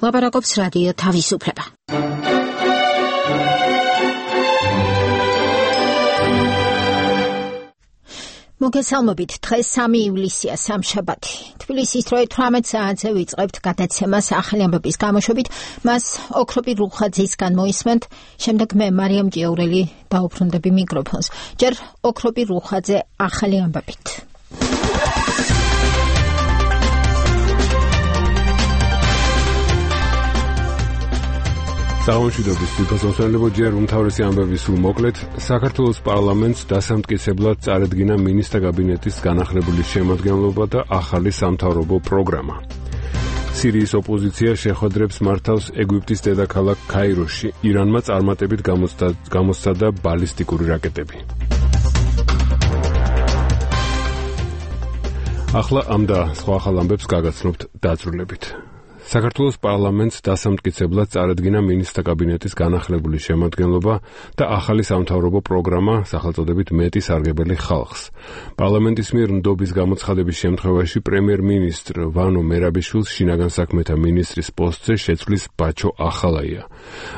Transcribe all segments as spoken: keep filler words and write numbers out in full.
ლაპარაკობს რადიო თავისუფლება. მოგესალმებით, დღეს სამი ივლისია, სამშაბათი. თბილისის დროით თვრამეტ საათზე ვიწყებთ გადაცემას ახალი ამბების გამოშვებით, მას ოქროპი რუხაძისგან მოისმენთ, შემდეგ მე მარიამ ჭიაურელი დაუბრუნდები მიკროფონს. ჯერ ოქროპი რუხაძე ახალი ამბებით. საღამოშვიდობის თვითმფრინავებო ჯერ უმთავრესი ამბები სულ მოკლედ. საქართველოს პარლამენტს დასამტკიცებლად წარედგინა მინისტრთა კაბინეტის განახლებული შემადგენლობა და ახალი სამთავრობო პროგრამა. სირიის ოპოზიცია შეხვედრებს მართავს ეგვიპტის დედაქალაქ ქაიროში. ირანმა წარმატებით გამოსცადა ბალისტიკური რაკეტები. ახლა ამ და სხვა ახალ ამბებს გაგაცნობთ დაწვრილებით. საქართველოს პარლამენტს დასამტკიცებლად წარედგინა მინისტრთა კაბინეტის განახლებული შემადგენლობა და ახალი სამთავრობო პროგრამა სახელწოდებით მეტი სარგებელი ხალხს. პარლამენტის მიერ ნდობის გამოცხადების შემთხვევაში პრემიერ-მინისტრ ვანო მერაბიშვილს შინაგან საქმეთა მინისტრის პოსტზე შეცვლის ბაჩო ახალაია.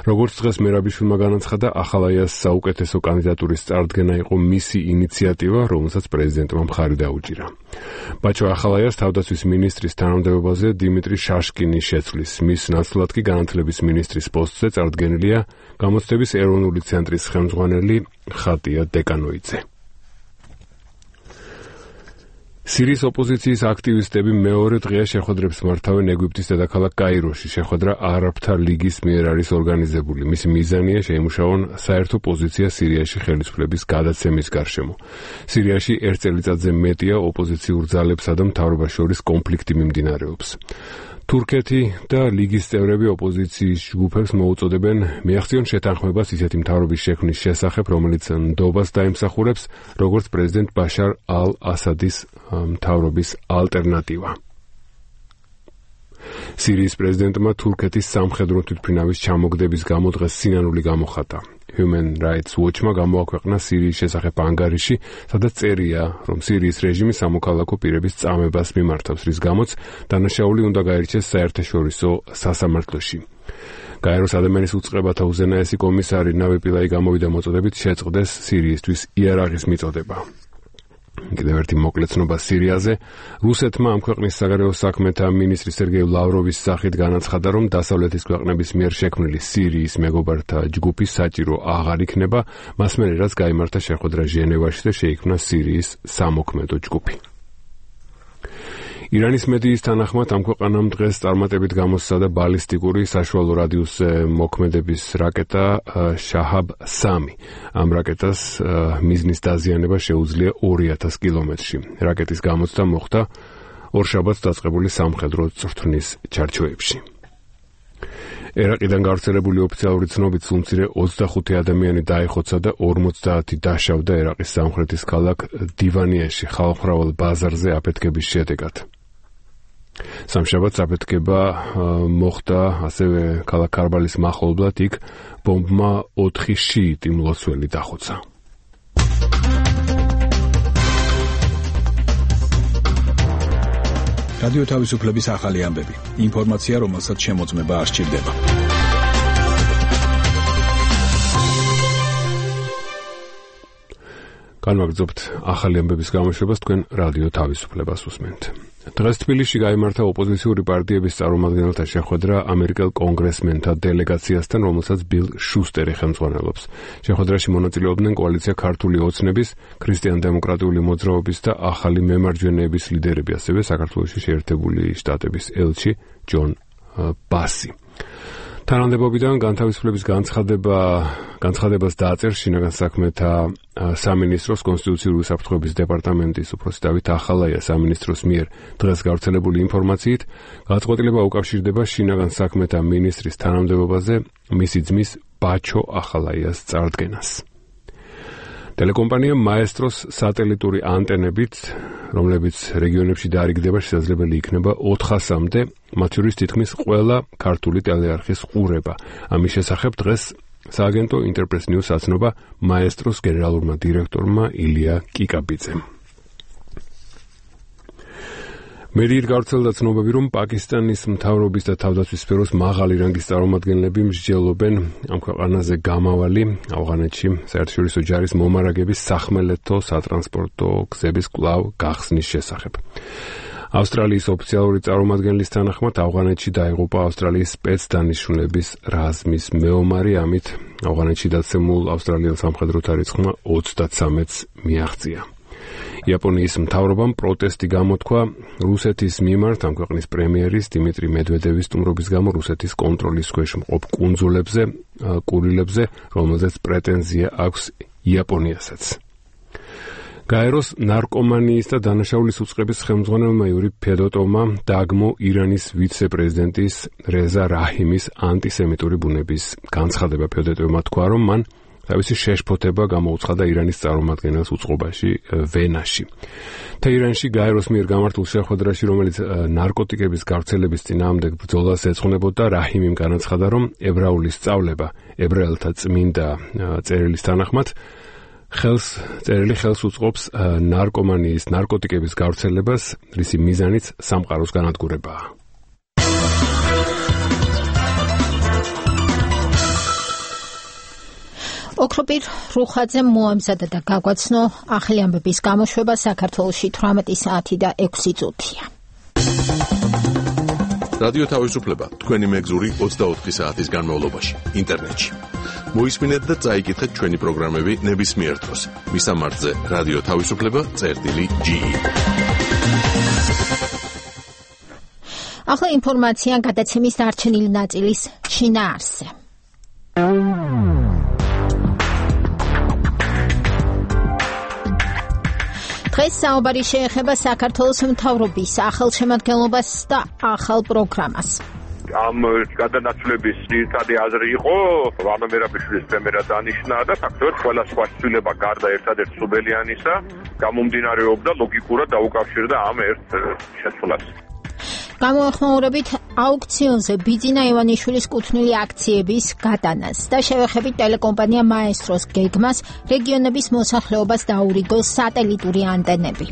როგორც დღეს მერაბიშვილმა განაცხადა, ახალაიას საუკეთესო კანდიდატურის წარდგენა იყო მისი ინიციატივა, რომელსაც პრეზიდენტმა მხარი დაუჭირა. ბაჩო ახალაიას თავდაცვის მინისტრის თანამდებობაზე დიმიტრი შაშკინი შეცვლის. მის ნაცვლად კი განათლების მინისტრის პოსტზე წარდგენილია გამოცდების ეროვნული ცენტრის ხელმძღვანელი ხატია დეკანოიძე. სირიის ოპოზიციის აქტივისტები მეორე დღეა შეხვედრებს მართავენ ეგვიპტის დედაქალაქ კაიროში. შეხვედრა არაბთა ლიგის მიერ არის ორგანიზებული. მისი მიზანია შეიმუშაონ საერთო პოზიცია სირიაში ხელისუფლების გადაცემის გარშემო. სირიაში ერთ წელიწადზე მეტია ოპოზიციურ ძალებსა და მთავრობას შორის კონფლიქტი მიმდინარეობს. თურქეთი და ლიგის წევრები ოპოზიციის ჯგუფებს მოუწოდებენ მიაღწიონ შეთანხმებას ისეთი მთავრობის შექმნის შესახებ, რომელიც ნდობას დაიმსახურებს, როგორც პრეზიდენტ ბაშარ ალ-ასადის მთავრობის ალტერნატივა. სირიის პრეზიდენტმა თურქეთის სამხედრო თვითმფრინავის ჩამოგდების გამო დღეს სინანული გამოხატა. Human Rights Watch-მა გამოაქვეყნა სირიის შესახებ ანგარიში, სადაც წერია, რომ სირიის რეჟიმი სამოქალაქო პირების წამებას მიმართავს, რის გამოც დანაშაული უნდა გაირჩეს საერთაშორისო სასამართლოში. გაეროს ადამიანის უწყებათა უზენაესი კომისარი ნავი პილაი გამოვიდა მოწოდებით შეწყდეს სირიისთვის იარაღის მიწოდება. კიდევ ერთი მოკლე ცნობა სირიაზე. რუსეთმა ამ ქვეყნის საგარეო საქმეთა მინისტრი სერგეი ლავროვის სახით განაცხადა, რომ დასავლეთის ქვეყნების მიერ შექმნილი სირიის მეგობართა ჯგუფი საჭირო აღარ იქნება, მას მერე რაც გაიმართა შეხვედრა ჟენევაში და შეიქმნა სირიის სამოქმედო ჯგუფი. ირანის მედიის თანახმად ამ ქვეყანამ დღეს წარმატებით გამოსცადა ბალისტიკური საშუალო რადიუსზე მოქმედების რაკეტა შაჰაბ სამი. ამ რაკეტას მიზნის დაზიანება შეუძლია ორი ათას კილომეტრში. რაკეტის გამოცდა მოხდა ორშაბათს დაწყებული სამხედრო წვრთნის ჩარჩოებში. ერაყიდან გავრცელებული ოფიციალური ცნობით სულ მცირე ოცდახუთი ადამიანი დაიხოცა და ორმოცდაათი დაშავდა ერაყის სამხრეთის ქალაქ დივანიაში ხალხმრავალ ბაზარზე აფეთქების შედეგად. სამშაბათს აფეთქება მოხდა ასევე ქალაქ ქარბალის მახლობლად, იქ ბომბმა ოთხი შიიტი მლოცველი დახოცა. რადიო თავისუფლების ახალი ამბები. ინფორმაცია, რომელსაც შემოწმება არ სჭირდება. განვაგრძობთ ახალი ამბების გამოშვებას, თქვენ რადიო თავისუფლებას უსმენთ. დღეს თბილისში გაიმართა ოპოზიციური პარტიების წარმომადგენელთა შეხვედრა ამერიკელ კონგრესმენთა დელეგაციასთან, რომელსაც ბილ შუსტერი ხელმძღვანელობს. შეხვედრაში მონაწილეობდნენ კოალიცია ქართული ოცნების, ქრისტიან-დემოკრატიული მოძრაობის და ახალი მემარჯვენეების ლიდერები, ასევე საქართველოში შეერთებული შტატების ელჩი ჯონ ბასი. თანამდებობიდან განთავისუფლების განცხადება განცხადებას დააწერს შინაგან საქმეთა სამინისტროს კონსტიტუციური საფრთხეების დეპარტამენტის უფროსი დავით ახალაია. სამინისტროს მიერ დღეს გავრცელებული ინფორმაციით გადაწყვეტილება უკავშირდება შინაგან საქმეთა მინისტრის თანამდებობაზე მისი ძმის ბაჩო ახალაიას წარდგენას. ტელეკომპანია მაესტროს სატელიტური ანტენებით, რომლებიც რეგიონებში დაარიგდება, შესაძლებელი იქნება ოთხასამდე, მათ შორის თითქმის ყველა ქართული ტელეარხის ყურება. ამის შესახებ დღეს სააგენტო ინტერპრეს ნიუს აცნობა მაესტროს გენერალურმა დირექტორმა ილია კიკაბიძემ. მედიით გავრცელდა ცნობები, რომ პაკისტანის მთავრობის და თავდაცვის სფეროს მაღალი რანგის წარმომადგენლები მსჯელობენ ამ ქვეყანაზე გამავალი ავღანეთში საერთაშორისო ჯარის მომარაგების სახმელეთო სატრანსპორტო გზების კვლავ გახსნის შესახებ. ავსტრალიის ოფიციალური წარმომადგენლის თანახმად ავღანეთში დაიღუპა ავსტრალიის სპეცდანიშნულების რაზმის მეომარი, ამით ავღანეთში დაცემულ ავსტრალიელ სამხედროთა რიცხვმა ოცდათსამეტს მიაღწია. იაპონიის მთავრობამ პროტესტი გამოთქვა რუსეთის მიმართ ამ ქვეყნის პრემიერის დიმიტრი მედვედევის სტუმრობის გამო რუსეთის კონტროლის ქვეშ მყოფ კუნძულებზე, კურილებზე, რომელზეც პრეტენზია აქვს იაპონიასაც. გაეროს ნარკომანიის და დანაშაულის უწყების ხელმძღვანელმა იური ფედოტოვმა დააგმო ირანის ვიცე-პრეზიდენტის რეზა რაჰიმის ანტისემიტური ბუნების განცხადება. ფედოტოვმა თქვა, რომ მან თავისი შეშფოთება გამოუცხადა ირანის წარმომადგენელს უწყობაში ვენაში. თეირანში გაეროს მიერ გამართულ შეხვედრაში, რომელიც ნარკოტიკების გავრცელების წინააღმდეგ ბრძოლას ეძღვნებოდა, რაჰიმიმ განაცხადა, რომ ებრაული სწავლება ებრაელთა წმინდა წერილის თანახმად ხელს წერილი ხელს უწყობს ნარკომანიის, ნარკოტიკების გავრცელებას, რისი მიზანიც სამყაროს განადგურებაა. ოქროპირ რუხაძემ მოამზადა და გაგვაცნო ახალი ამბების გამოშვება საქართველოში თვრამეტი საათი და ექვსი წუთია. რადიო თავისუფლება თქვენი მეგზური ოცდაოთხი საათის განმავლობაში ინტერნეტში. მოისმინეთ და წაიკითხეთ ჩვენი პროგრამები ნებისმიერ დროს. მისამართზე რადიო თავისუფლება წერტილი ჯი. ახლა ინფორმაცია გადაცემის დარჩენილი ნაწილის შინაარსზე. დღეს საუბარი შეეხება საქართველოს მთავრობის ახალშემადგენლობას და ახალ პროგრამას. ამ გადანაცვლების ძირითადი აზრი იყო ვანო მერაბიშვილის პრემიერად დანიშნა და ფაქტობრივად ყველა სხვა ცვლილება გარდა ერთადერთ სუბელიანისა გამომდინარეობდა ლოგიკურად დაუკავშირდა ამ ერთ შესრულებას. გამოეხმაურებით აუქციონზე ბიძინა ივანიშვილის კუთვნილი აქციების გადანას და შევეხებით ტელეკომპანია მაესტროს გეგმას რეგიონების მოსახლეობას დაურიგო სატელიტური ანტენები.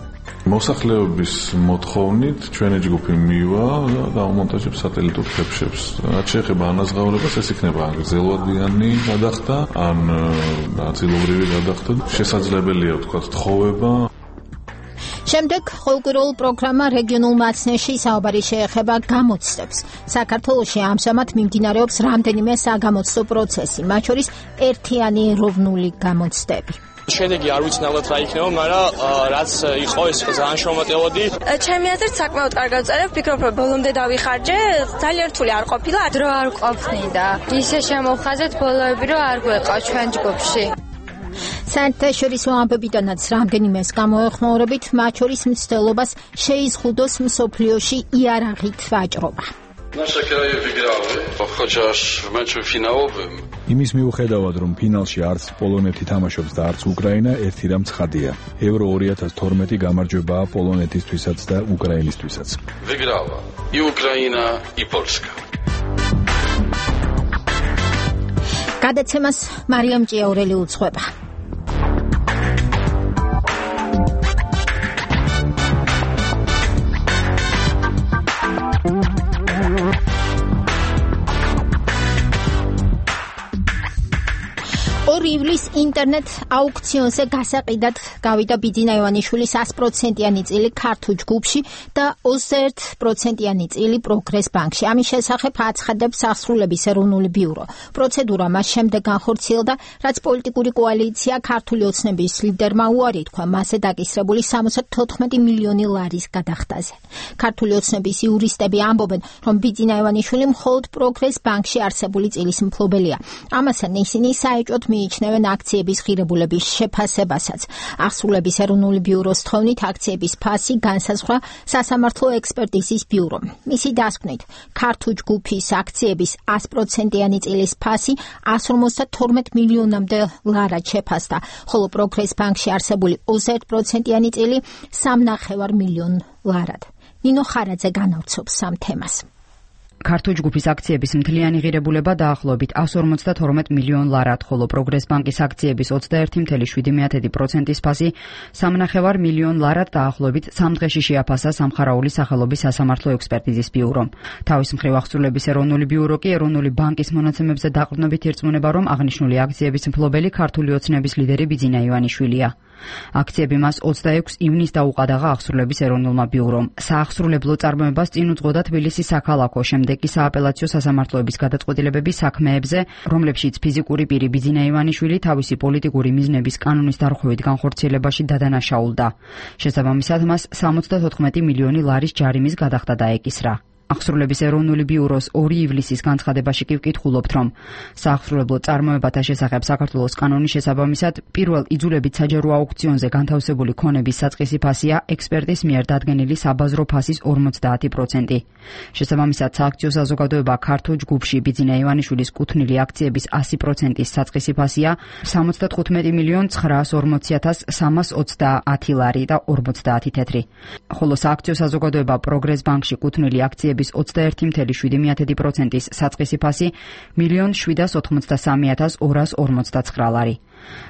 მოსახლეობის მოთხოვნით ჩვენი ჯგუფი მივა და დაუმონტაჟებს სატელიტურ ხებშებს. რაც შეეხება ანაზღაურებას, ეს იქნება გრძელვადიანი გადახდა, ან ნაწილობრივი გადახდა. შესაძლებელია ვთქვათ თხოვება. შემდეგ ყოველკვირეულ პროგრამა რეგიონულ მაცნეში საუბარი შეეხება გამოცდებს. საქართველოში ამჟამად მიმდინარეობს რამდენიმე საგამოცდო პროცესი, მათ შორის ერთიანი ეროვნული გამოცდები. შედეგი არ ვიცნაურად რა იქნება, მაგრამ რაც იყო ეს ძალიან შრომატევადი. ჩემი აზრით საკმაოდ კარგად ვწერებ, ვფიქრობ, რომ ბოლომდე დავიხარჯე, ძალიან რთული არ ყოფილა, დრო არ ყოფნიდა. ისე შემოვხაზეთ ბოლოები, რომ არ გვეყავ ჩვენ ჯგუფში. საერთაშორისო ამბებიდანაც რამდენიმეს გამოეხმაურებით, მათ შორის მცდელობას შეიზღუდოს მსოფლიოში იარაღით ვაჭრობა. Nasze kraje wygrały, chociaż w meczu finałowym. იმის მიუხედავად, რომ ფინალში არც პოლონეთი თამაშობს და არც უკრაინა, ერთი რამ ცხადია. ევრო ორი ათას თორმეტი გამარჯვებაა პოლონეთისთვისაც და უკრაინისთვისაც. Wygrała i Ukraina, i Polska. გადაცემას მარიამ ჭიაურელი უძღვება. ორი ივლის ინტერნეტ აუქციონზე გასაყიდად გავიდა ბიძინა ივანიშვილის ას პროცენტიანი წილი ქართულ ჯგუფში და ოცდაერთი პროცენტიანი წილი პროგრეს ბანკში. ამის შესახებ აცხადებს აღსრულების ეროვნული ბიურო. პროცედურა მას შემდეგ განხორციელდა, რაც პოლიტიკური კოალიცია ქართული ოცნების ლიდერმა უარი თქვა მასზე დაკისრებული სამოცდათოთხმეტი მილიონი ლარის გადახდაზე. ქართული ოცნების იურისტები ამბობენ, რომ ბიძინა ივანიშვილი მხოლოდ პროგრეს ბანკში არსებული წილის მფლობელია. ამასთან ისინი საეჭვოდ მიიჩნევენ აქციების ღირებულების შეფასებასაც. აღსრულების ეროვნული ბიუროს თხოვნით აქციების ფასი განსაზღვრა სასამართლო ექსპერტიზის ბიურომ. მისი დასკვნით, ქართულ ჯგუფის აქციების ას პროცენტიანი წილის ფასი ას ორმოცდათორმეტ მილიონამდე ლარად შეფასდა, ხოლო პროგრეს ბანკში არსებული ოცდაერთი პროცენტიანი წილი სამნახევარ მილიონ ლარად. ნინო ხარაძე განავრცობს ამ თემას. ქართულ ჯგუფის აქციების მთლიანი ღირებულება დაახლოებით εκατს ორმოცდათორმეტ მილიონ ლარად, ხოლო პროგრეს ბანკის აქციების ოცდაერთი წუთი შვიდი პროცენტის ფასი სამნახევარ მილიონ ლარად დაახლოებით სამ დღეში შეაფასა სამხარაული სახელობის სასამართლო ექსპერტიზის ბიურომ. თავის მხრივ აღსრულების ეროვნული ბიურო კი ეროვნული ბანკის მონაცემებზე დაყრდნობით ირწმუნება, რომ აღნიშნული აქციების მფლობელი ქართული ოცნების ლიდერი ბიძინა ივანიშვილია. აქციები მას ოცდაექვსი ივნისს დაუყადაღა აღსრულების ეროვნულმა ბიურომ. საახსრულებლო წარმოებას წინ უძღოდა თბილისის საქალაქო, შემდეგ კი სააპელაციო სასამართლოების გადაწყვეტილებების საქმეებზე, რომლებშიც ფიზიკური პირი ბიძინა ივანიშვილი თავისი პოლიტიკური მიზნების კანონის დარღვევით განხორციელებაში დადანაშაულდა. შესაბამისად, მას სამოცდათოთხმეტი მილიონი ლარის ჯარიმის გადახდა დაეკისრა. აღსრულების ეროვნული ბიუროს ორი ივლისის განცხადებაში კი ვკითხულობთ, რომ საახსრულებლო წარმოებათა შესახებ საქართველოს კანონის შესაბამისად პირველ იძულებით საჯარო აუქციონზე განთავსებული ქონების საწყისი ფასია ექსპერტის მიერ დადგენილი საბაზრო ფასის ორმოცდაათი პროცენტი. შესაბამისად, სააქციო საზოგადოება ქართულ ჯგუფში ბიძინა ივანიშვილის კუთვნილი აქციების ასი პროცენტის საწყისი ფასია სამოცდათხუთმეტი მილიონ ცხრაას ორმოცი ათას სამას ოცდაათი ლარი და ორმოცდაათი თეთრი. ხოლო სააქციო საზოგადოება პროგრეს ბანკში კუთვნილი აქციების ოცდაერთი წუთი შვიდი პროცენტის საწყისი ფასი მილიონ შვიდას ოთხმოცდასამი ათას ორას ორმოცდაცხრა ლარი.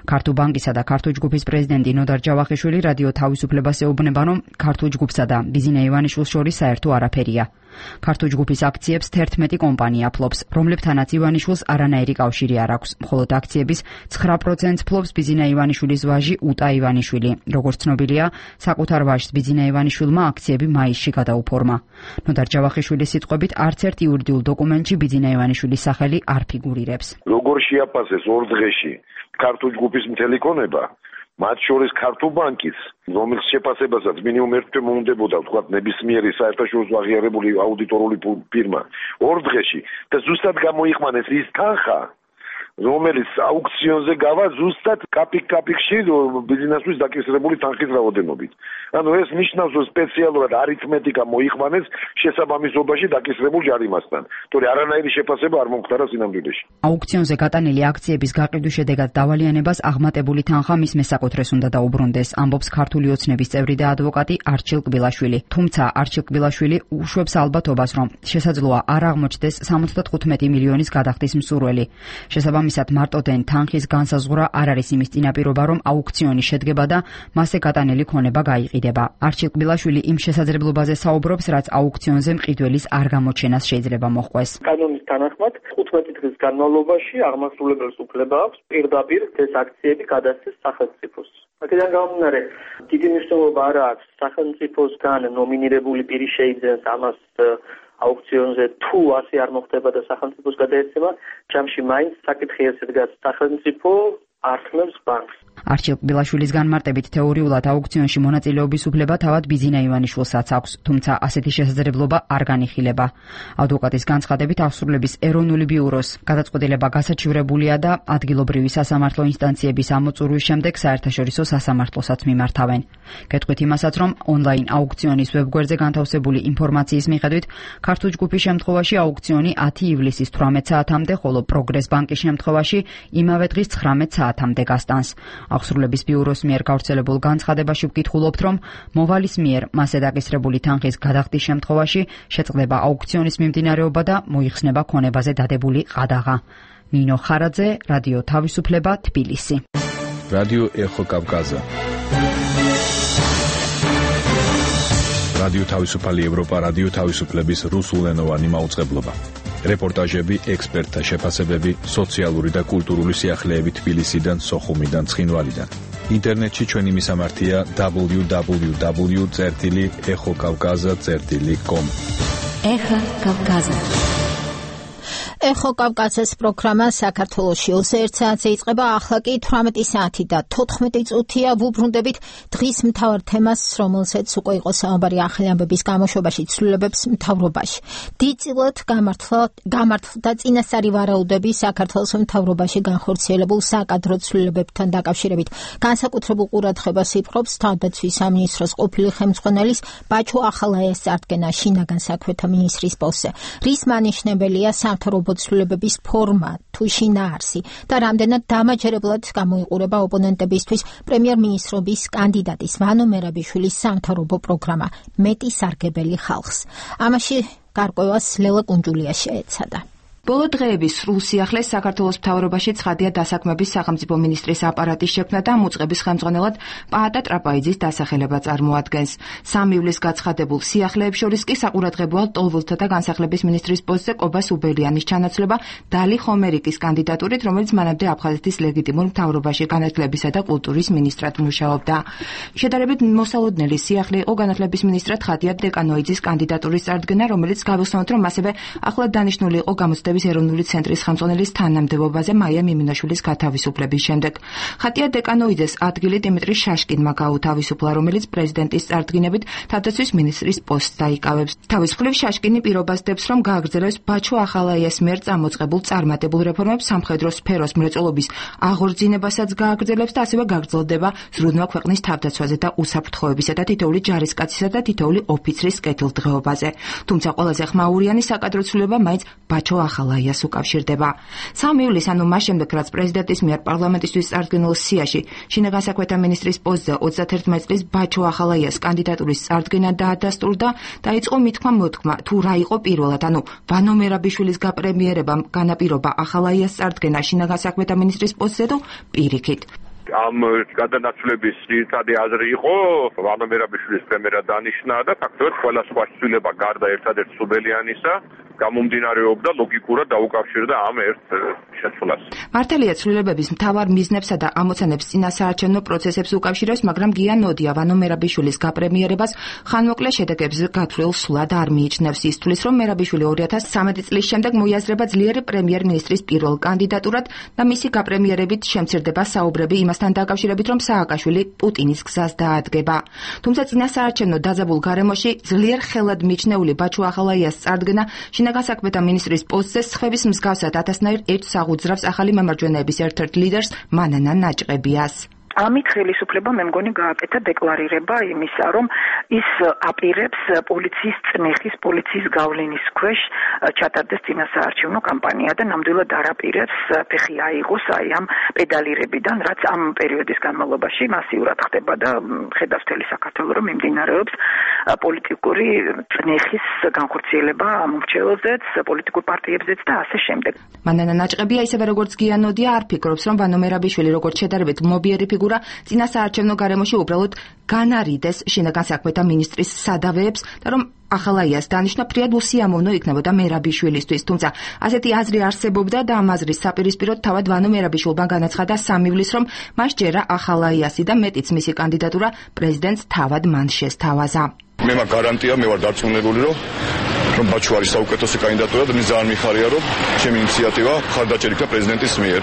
ქართულ ბანკისა და ქართულ ჯგუფის პრეზიდენტი ნოდარ ჯავახიშვილი რადიო თავისუფლებას ეუბნება, რომ ქართულ ჯგუფსა და ბიძინა ივანიშვილს შორის საერთო არაფერია. ქართულ ჯგუფის აქციებს თერთმეტი კომპანია ფლობს, რომლებთანაც ივანიშვილს არანაირი კავშირი არ აქვს, მხოლოდ აქციების ცხრა პროცენტს ფლობს ბიძინა ივანიშვილის ვაჟი უტა ივანიშვილი. როგორც ცნობილია, საკუთარ ვაჟს ბიძინა ივანიშვილმა აქციები მაისში გადაუფორმა. ნოდარ ჯავახიშვილის სიტყვებით, არც ერთ იურიდიულ დოკუმენტში ბიძინა ივანიშვილის სახელი არ ფიგურირებს. როგორ შეაფასეს ორ დღეში ქართულ ჯგუფის მთელი ქონება, მათ შორის ქართულ ბანკის, რომელიც შეფასებასაც მინიმუმ ერთ თვე მოუნდებოდა, ვთქვათ, ნებისმიერი საერთაშორისო აღიარებული აუდიტორული ფირმა, ორ დღეში და ზუსტად გამოიყვანეს ის თანხა, რომელიც აუქციონზე გავა ზუსტად კაპიკ-კაპიკში ბიზნესთვის დაკისრებული თანხის რაოდენობით. ანუ ეს ნიშნავს, რომ სპეციალურად არითმეტიკა მოიყვანეს შესაბამისობაში დაკისრებულ ჯარიმასთან. თორე არანაირი შეფასება არ მომხდარა სინამდვილეში. აუქციონზე გატანილი აქციების გაყიდვის შედეგად დავალიანებას აღმატებული თანხა მის მესაკუთრეს უნდა დაუბრუნდეს, ამბობს ქართული ოცნების წევრი და ადვოკატი არჩილ კბილაშვილი. თუმცა არჩილ კბილაშვილი უშვებს ალბათობას, რომ შესაძლოა არ აღმოჩნდეს სამოცდათხუთმეტი მილიონის გადახდის მსურველი. შესაბამისად, მარტოდენ თანხის განსაზღვრა არ არის იმის წინაპირობა, რომ აუქციონი შედგება და მასზე გატანილი ქონება გაიყიდება. არჩილ კბილაშვილი იმ შესაძლებლობაზე საუბრობს, რაც აუქციონზე მყიდველის არ გამოჩენას შეიძლება მოჰყვეს. კანონის თანახმად თხუთმეტი დღის განმავლობაში აღმასრულებელს უფლება აქვს პირდაპირ ეს აქციები გადასცეს სახელმწიფოს. აქედან გამომდინარე, დიდი მნიშვნელობა არ აქვს სახელმწიფოსგან ნომინირებული პირი შეიძენს ამას აუქციონზე თუ ასე არ მოხდება და სახელმწიფოს გადაეცემა, ჯამში მაინც საკითხი ესე დგას, სახელმწიფო ართმევს ბანკს. არჩილ კბილაშვილის განმარტებით, თეორიულად აუქციონში მონაწილეობის უფლება თავად ბიძინა ივანიშვილსაც აქვს, თუმცა ასეთი შესაძლებლობა არ განიხილება. ადვოკატის განცხადებით, აღსრულების ეროვნული ბიუროს გადაწყვეტილება გასაჩივრებულია და ადგილობრივი სასამართლო ინსტანციების ამოწურვის შემდეგ საერთაშორისო სასამართლოსაც მიმართავენ. გეტყვით იმასაც, რომ ონლაინ აუქციონის ვებგვერდზე განთავსებული ინფორმაციის მიხედვით, ქართულ ჯგუფის შემთხვევაში აუქციონი ათი ივლისის თვრამეტ საათამდე, ხოლო პროგრეს ბანკის შემთხვევაში იმავე დღის ცხრამეტ საათამდე გასტანს. აღსრულების ბიუროს მიერ გავრცელებულ განცხადებაში ვკითხულობთ, რომ მოვალის მიერ მასზე დაკისრებული თანხის გადახდის შემთხვევაში შეწყდება აუქციონის მიმდინარეობა და მოიხსნება ქონებაზე დადებული ყადაღა. ნინო ხარაძე, რადიო თავისუფლება, თბილისი. რადიო ეხო კავკაზა. რადიო თავისუფალი ევროპა, რადიო თავისუფლების რუსულენოვანი მაუწყებლობა. რეპორტაჟები, ექსპერტთა შეფასებები, სოციალური და კულტურული სიახლეები თბილისიდან, სოხუმიდან, ცხინვალიდან. ინტერნეტში ჩვენი მისამართია დაბლიუ დაბლიუ დაბლიუ წერტილი ეხო კავკაზა წერტილი კომ. ეხო კავკაზა. ეხო კავკაზის პროგრამა საქართველოში ოცდაერთ საათზე იწყება, ახლა კი თვრამეტი საათი და თოთხმეტი წუთია. ვუბრუნდებით დღის მთავარ თემას, რომელზეც უკვე იყო საუბარი ახალი ამბების გამოშვებაში ცვლილებებს მთავრობაში. დიდწილად გამართლდა წინასწარი ვარაუდები საქართველოს მთავრობაში განხორციელებულ საკადრო ცვლილებებთან დაკავშირებით. განსაკუთრებულ ყურადღებას იპყრობს თავდაცვის სამინისტროს ყოფილი ხელმძღვანელის ბაჩო ახალაიას წარდგენა შინაგან საქმეთა მინისტრის პოსტზე. რის მანიშნებელია სამთავრობო ცვლილებების ფორმა თუ შინაარსი და რამდენად დამაჯერებლად გამოიყურება ოპონენტებისთვის პრემიერ-მინისტრობის კანდიდატის ვანო მერაბიშვილის სამთავრობო პროგრამა მეტი სარგებელი ხალხს. ამაში გარკვევას ლელა კუნჯულია შეეცადა. ბოლო დღეების სრულ სიახლეს საქართველოს მთავრობაში ცხადია დასაქმების სახელმწიფო მინისტრის აპარატის შექმნა და მუწყების ხელმძღვანელად პაატა ტრაპაიძის დასახელება წარმოადგენს. სამი ივლისს გაცხადებულ სიახლეებს შორის კი საყურადღებოა ლტოლვილთა და განსახლების მინისტრის პოსტზე კობა სუბელიანის ჩანაცვლება დალი ხომერიკის კანდიდატურით, რომელიც მანამდე აფხაზეთის ლეგიტიმურ მთავრობაში განათლებისა და კულტურის მინისტრად მუშაობდა. შედარებით მოსალოდნელი სიახლე იყო განათლების მინისტრად ხატია დეკანოიძის კანდიდატურის წარდგენა, რომელიც გავიხსენოთ, რომ ასევე ახლად დანიშნული იყო გამოცდების ეროვნული ცენტრის ხელმძღვანელის თანამდებობაზე მაია მიმინაშვილის გათავისუფლების შემდეგ. ხატია დეკანოიძეს ადგილი დიმიტრი შაშკინმა გაუთავისუფლა, რომელიც პრეზიდენტის წარდგინებით თავდაცვის მინისტრის პოსტს დაიკავებს. თავის მხრივ შაშკინი პირობას დებს, რომ გააგრძელებს ბაჩო ახალაიას მიერ წამოწყებულ წარმატებულ რეფორმებს, სამხედრო სფეროს მრეწველობის აღორძინებასაც გააგრძელებს და ასევე გაგრძელდება ზრუნვა ქვეყნის თავდაცვაზე და უსაფრთხოებისა და თითოეული ჯარისკაცისა და თითოეული ოფიცრის კეთილდღეობაზე. თუმცა ყველაზე ხმაურიანი საკადრო ცვლილება მაინც ბაჩო ახალაიას უკავშირდება. სამი ივლისს, ანუ მას შემდეგ, რაც პრეზიდენტის მიერ პარლამენტისთვის წარდგენილ სიაში შინაგან საქმეთა მინისტრის პოსტზე ოცდაათერთმეტ წლის ბაჩო ახალაიას კანდიდატურის წარდგენა დაადასტურდა, დაიწყო მითქმა-მოთქმა, თუ რა იყო პირველად, ანუ ვანო მერაბიშვილის გაპრემიერებამ განაპირობა ახალაიას წარდგენა შინაგან საქმეთა მინისტრის პოსტზე თუ პირიქით. ამ გადანაცვლების ძირითადი აზრი იყო ვანო მერაბიშვილის პრემიერად დანიშნა და ფაქტობრივად ყველა სხვა ცვლილება გარდა ერთადერთ სუბელიანისა გამომდინარეობდა ლოგიკურად დაუკავშირდა ამ ერთ შეცვლას. მართალია ცვლილებების მთავარ მიზნებსა და ამოცანებს წინასაარჩევნო პროცესებს უკავშირებს, მაგრამ გია ნოდია ვანო მერაბიშვილის გაპრემიერებას ხანმოკლე შედეგებს გათვლილ სულად არ მიიჩნევს. ის თვლის, რომ მერაბიშვილი ორი ათას ცხრამეტი წლის შემდეგ მოიაზრება ძლიერი პრემიერ-მინისტრის პირველ კანდიდატურად და მისი გაპრემიერებით შემცირდება საუბრები იმასთან დაკავშირებით, რომ სააკაშვილი პუტინის გზას დაადგება. თუმცა წინასაარჩევნო დაძაბულ გარემოში ძლიერ ხელად მიჩნეული ბაჩო ახალაიას წარდგენა შინაგან საქმეთა მინისტრის პოსტზე სხევის მსგავსად ათასნაირ ერთს აღუძრავს ახალი მემარჯვენეების ერთ-ერთ ლიდერს მანანა ნაჭყებიას. ამით ხელისუფლება მე მგონი გააკეთა დეკლარირება იმისა, რომ ის აპირებს პოლიციის წნეხის, პოლიციის გავლენის ქვეშ ჩატარდეს წინასაარჩევნო კამპანია და ნამდვილად არ აპირებს ფეხი აიღოს აი ამ პედალირებიდან, რაც ამ პერიოდის განმავლობაში მასიურად ხდება და ხედავს მთელი საქართველო, რომ მიმდინარეობს პოლიტიკური წნეხის განხორციელება ამ მრჩეველზეც, პოლიტიკურ პარტიებზეც და ასე შემდეგ. მანანა ნაჭყებია ისევე როგორც გია ნოდია არ ფიქრობს, რომ ვანო მერაბიშვილი როგორც შედარებით მობიერი ფიგურა წინასაარჩევნო გარემოში უბრალოდ განარიდეს შინაგან საქმეთა მინისტრის სადავეებს და რომ ახალაიას დანიშნა ფრიად უსიამოვნო იქნებოდა მერაბიშვილისთვის. თუმცა ასეთი აზრი არსებობდა და ამ აზრის საპირისპიროდ თავად ვანო მერაბიშვილმა განაცხადა სამი ივლისს, რომ მას ჯერა ახალაიასი და მეტიც მისი კანდიდატურა პრეზიდენტს თავად მან შესთავაზა. მე მაგ გარანტია, მე ვარ დარწმუნებული, რომ რომ ბაჩო არის საუკეთესო კანდიდატურა და მე ძალიან მიხარია, რომ ჩემი ინიციატივა მხარდაჭერა იქნა პრეზიდენტის მიერ.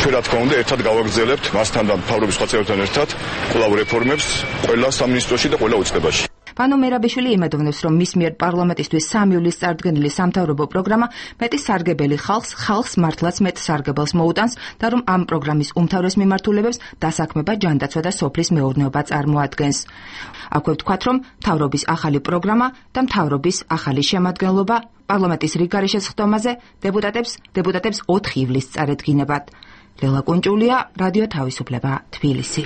ჩვენ რა თქმა უნდა ერთად გავაგრძელებთ მასთან და მთავრობის სხვა წევრებთან ერთად კვლავ რეფორმებს ყველა სამინისტროში და ყველა უწყებაში. ვანო მერაბიშვილი იმედოვნებს, რომ მის მიერ პარლამენტისთვის სამი ივლისს წარდგენილი სამთავრობო პროგრამა მეტი სარგებელი ხალხს, ხალხს მართლაც მეტ სარგებელს მოუტანს და რომ ამ პროგრამის უმთავრეს მიმართულებებს დასაქმება, ჯანდაცვა და სოფლის მეურნეობა წარმოადგენს. აქვე ვთქვათ, რომ მთავრობის ახალი პროგრამა და მთავრობის ახალი შემადგენლობა პარლამენტის რიგგარეშე სხდომაზე დეპუტატებს დეპუტატებს ოთხი ივლისს წარედგინებათ. ლელა კუნჭულია, რადიო თავისუფლება, თბილისი.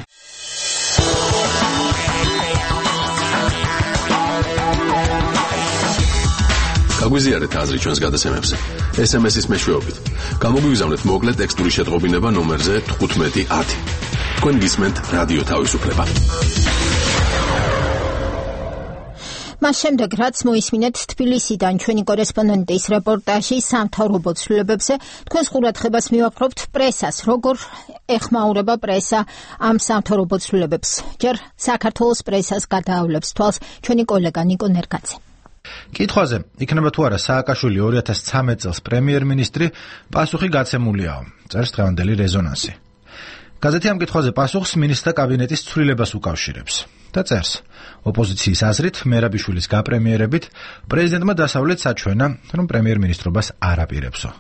გაგვიზიარეთ აზრი ჩვენს გადაცემებზე. ეს ემ ეს-ის მეშვეობით. გამოგვიგზავნეთ მოკლე ტექსტური შეტყობინება ნომერზე თხუთმეტი ათი. თქვენ გისმენთ რადიო თავისუფლება. მას შემდეგ, რაც მოისმინეთ თბილისიდან ჩვენი კორესპონდენტის რეპორტაჟი სამთავრობო ცვლილებებზე, თქვენს ყურადღებას მივაქრობთ პრესას, როგორ ეხმაურება პრესა ამ სამთავრობო ცვლილებებს. ჯერ საქართველოს პრესას გადაავლებს თვალს ჩვენი კოლეგა ნიკო ნერგაძე. კითხვაზე, იქნება თუ არა სააკაშვილი ორი ათას ცხრამეტ წელს პრემიერ-მინისტრი, პასუხი გაცემულიაო, წერს დღევანდელი რეზონანსი. გაზეთი ამ კითხვაზე პასუხს მინისტრთა კაბინეტის ცვლილებას უკავშირებს და წერს: ოპოზიციის აზრით, მერაბიშვილის გაპრემიერებით პრეზიდენტმა დასავლეთ საჩვენა, რომ პრემიერ-მინისტრობას არ აპირებსო.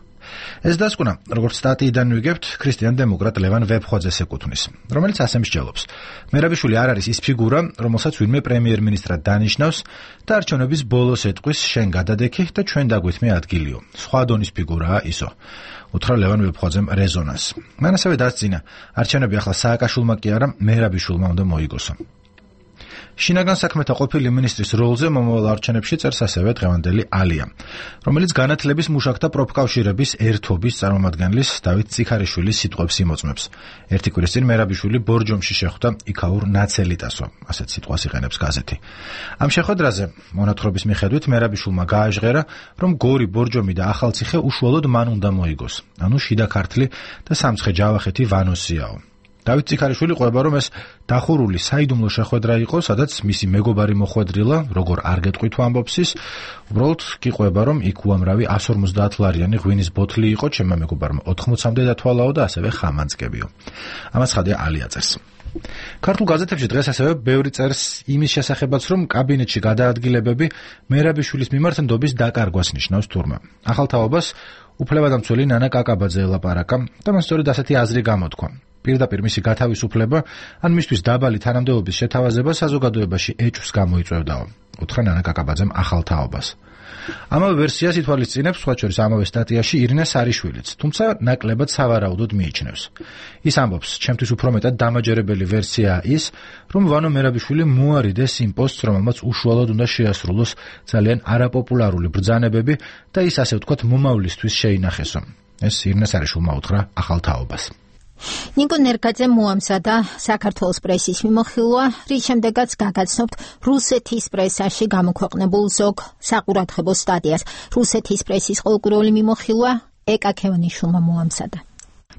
ეს დასკვნა, როგორც სტატიიდან ვიგებთ, ქრისტიან დემოკრატ ლევან ვებხოძეს ეკუთვნის, რომელიც ასე მსჯელობს: მერაბიშვილი არ არის ის ფიგურა, რომელსაც ვინმე პრემიერ-მინისტრად დანიშნავს და არჩევნების ბოლოს ეტყვის შენ გადადექი და ჩვენ დაგვითმე ადგილიო. სხვა დონის ფიგურაა ისო. უთხრა ლევან ვებხოძემ რეზონანს. მან ასევე დასძინა, არჩევნები ახლა სააკაშვილმა კი არა, მერაბიშვილმა უნდა მოიგოსო. შინაგან საქმეთა ყოფილი მინისტრის როლზე მომავალ არჩევნებში წერს ასევე დღევანდელი ალია, რომელიც განათლების მუშაკთა პროფკავშირების ერთობის წარმომადგენლის დავით წიქარიშვილის სიტყვებს იმოწმებს. ერთი კვირის წინ მერაბიშვილი ბორჯომში შეხვდა იქაურ ნაცელიტასო, ასეთ სიტყვას იყენებს გაზეთი. ამ შეხვედრაზე მონათხრობის მიხედვით მერაბიშვილმა გააჟღერა, რომ გორი, ბორჯომი და ახალციხე უშუალოდ მან უნდა მოიგოს, ანუ შიდა ქართლი და სამცხე ჯავახეთი ვანოსიაო. დავით წიქარიშვილი ყვება, რომ ეს დახურული საიდუმლო შეხვედრა იყო, სადაც მისი მეგობარი მოხვედრილა, როგორ არ გეტყვით ამბობს ის, უბრალოდ კი ყვება, რომ იქ უამრავი εκατს ორმოცდაათ ლარიანი ღვინის ბოთლი იყო, ჩემმა მეგობარმა ოთხმოცამდე დათვალაო და ასევე ხამანწკებიო. ამას ხადია ალია წერს. ქართულ გაზეთებში დღეს ასევე ბევრი წერს იმის შესახებაც, რომ კაბინეტში გადაადგილებები მერაბიშვილის მიმართ ნდობის დაკარგვას ნიშნავს თურმე. ახალ თაობას უფლებადამცველი ნანა კაკაბაძე ელაპარაკა და მან სწორედ ასეთი აზრი გამოთქვა. პირდაპირ მისი გათავისუფლება ან მისთვის დაბალი თანამდებობის შეთავაზება საზოგადოებაში ეჭვს გამოიწვევდაო, უთხრა ნანა კაკაბაძემ ახალ თაობას. ამავე ვერსიას ითვალისწინებს სხვა შორის ამავე სტატიაში ირინა სარიშვილიც, თუმცა ნაკლებად სავარაუდოდ მიიჩნევს. ის ამბობს, ჩემთვის უფრო მეტად დამაჯერებელი ვერსიაა ის, რომ ვანო მერაბიშვილი მოარიდეს იმ პოსტს, რომელმაც უშუალოდ უნდა შეასრულოს ძალიან არაპოპულარული ბრძანებები და ის ასე ვთქვათ მომავლისთვის შეინახესო. ეს ირინა სარიშვილმა უთხრა ახალ თაობას. ნიკო ნერგაძე მოამზადა საქართველოს პრესის მიმოხილვა, რის შემდეგაც გაგაცნობთ რუსეთის პრესაში გამოქვეყნებულ ზოგ საყურადღებო სტატიას. რუსეთის პრესის ყოველკვირეული მიმოხილვა ეკა ქევანიშვილმა მოამზადა.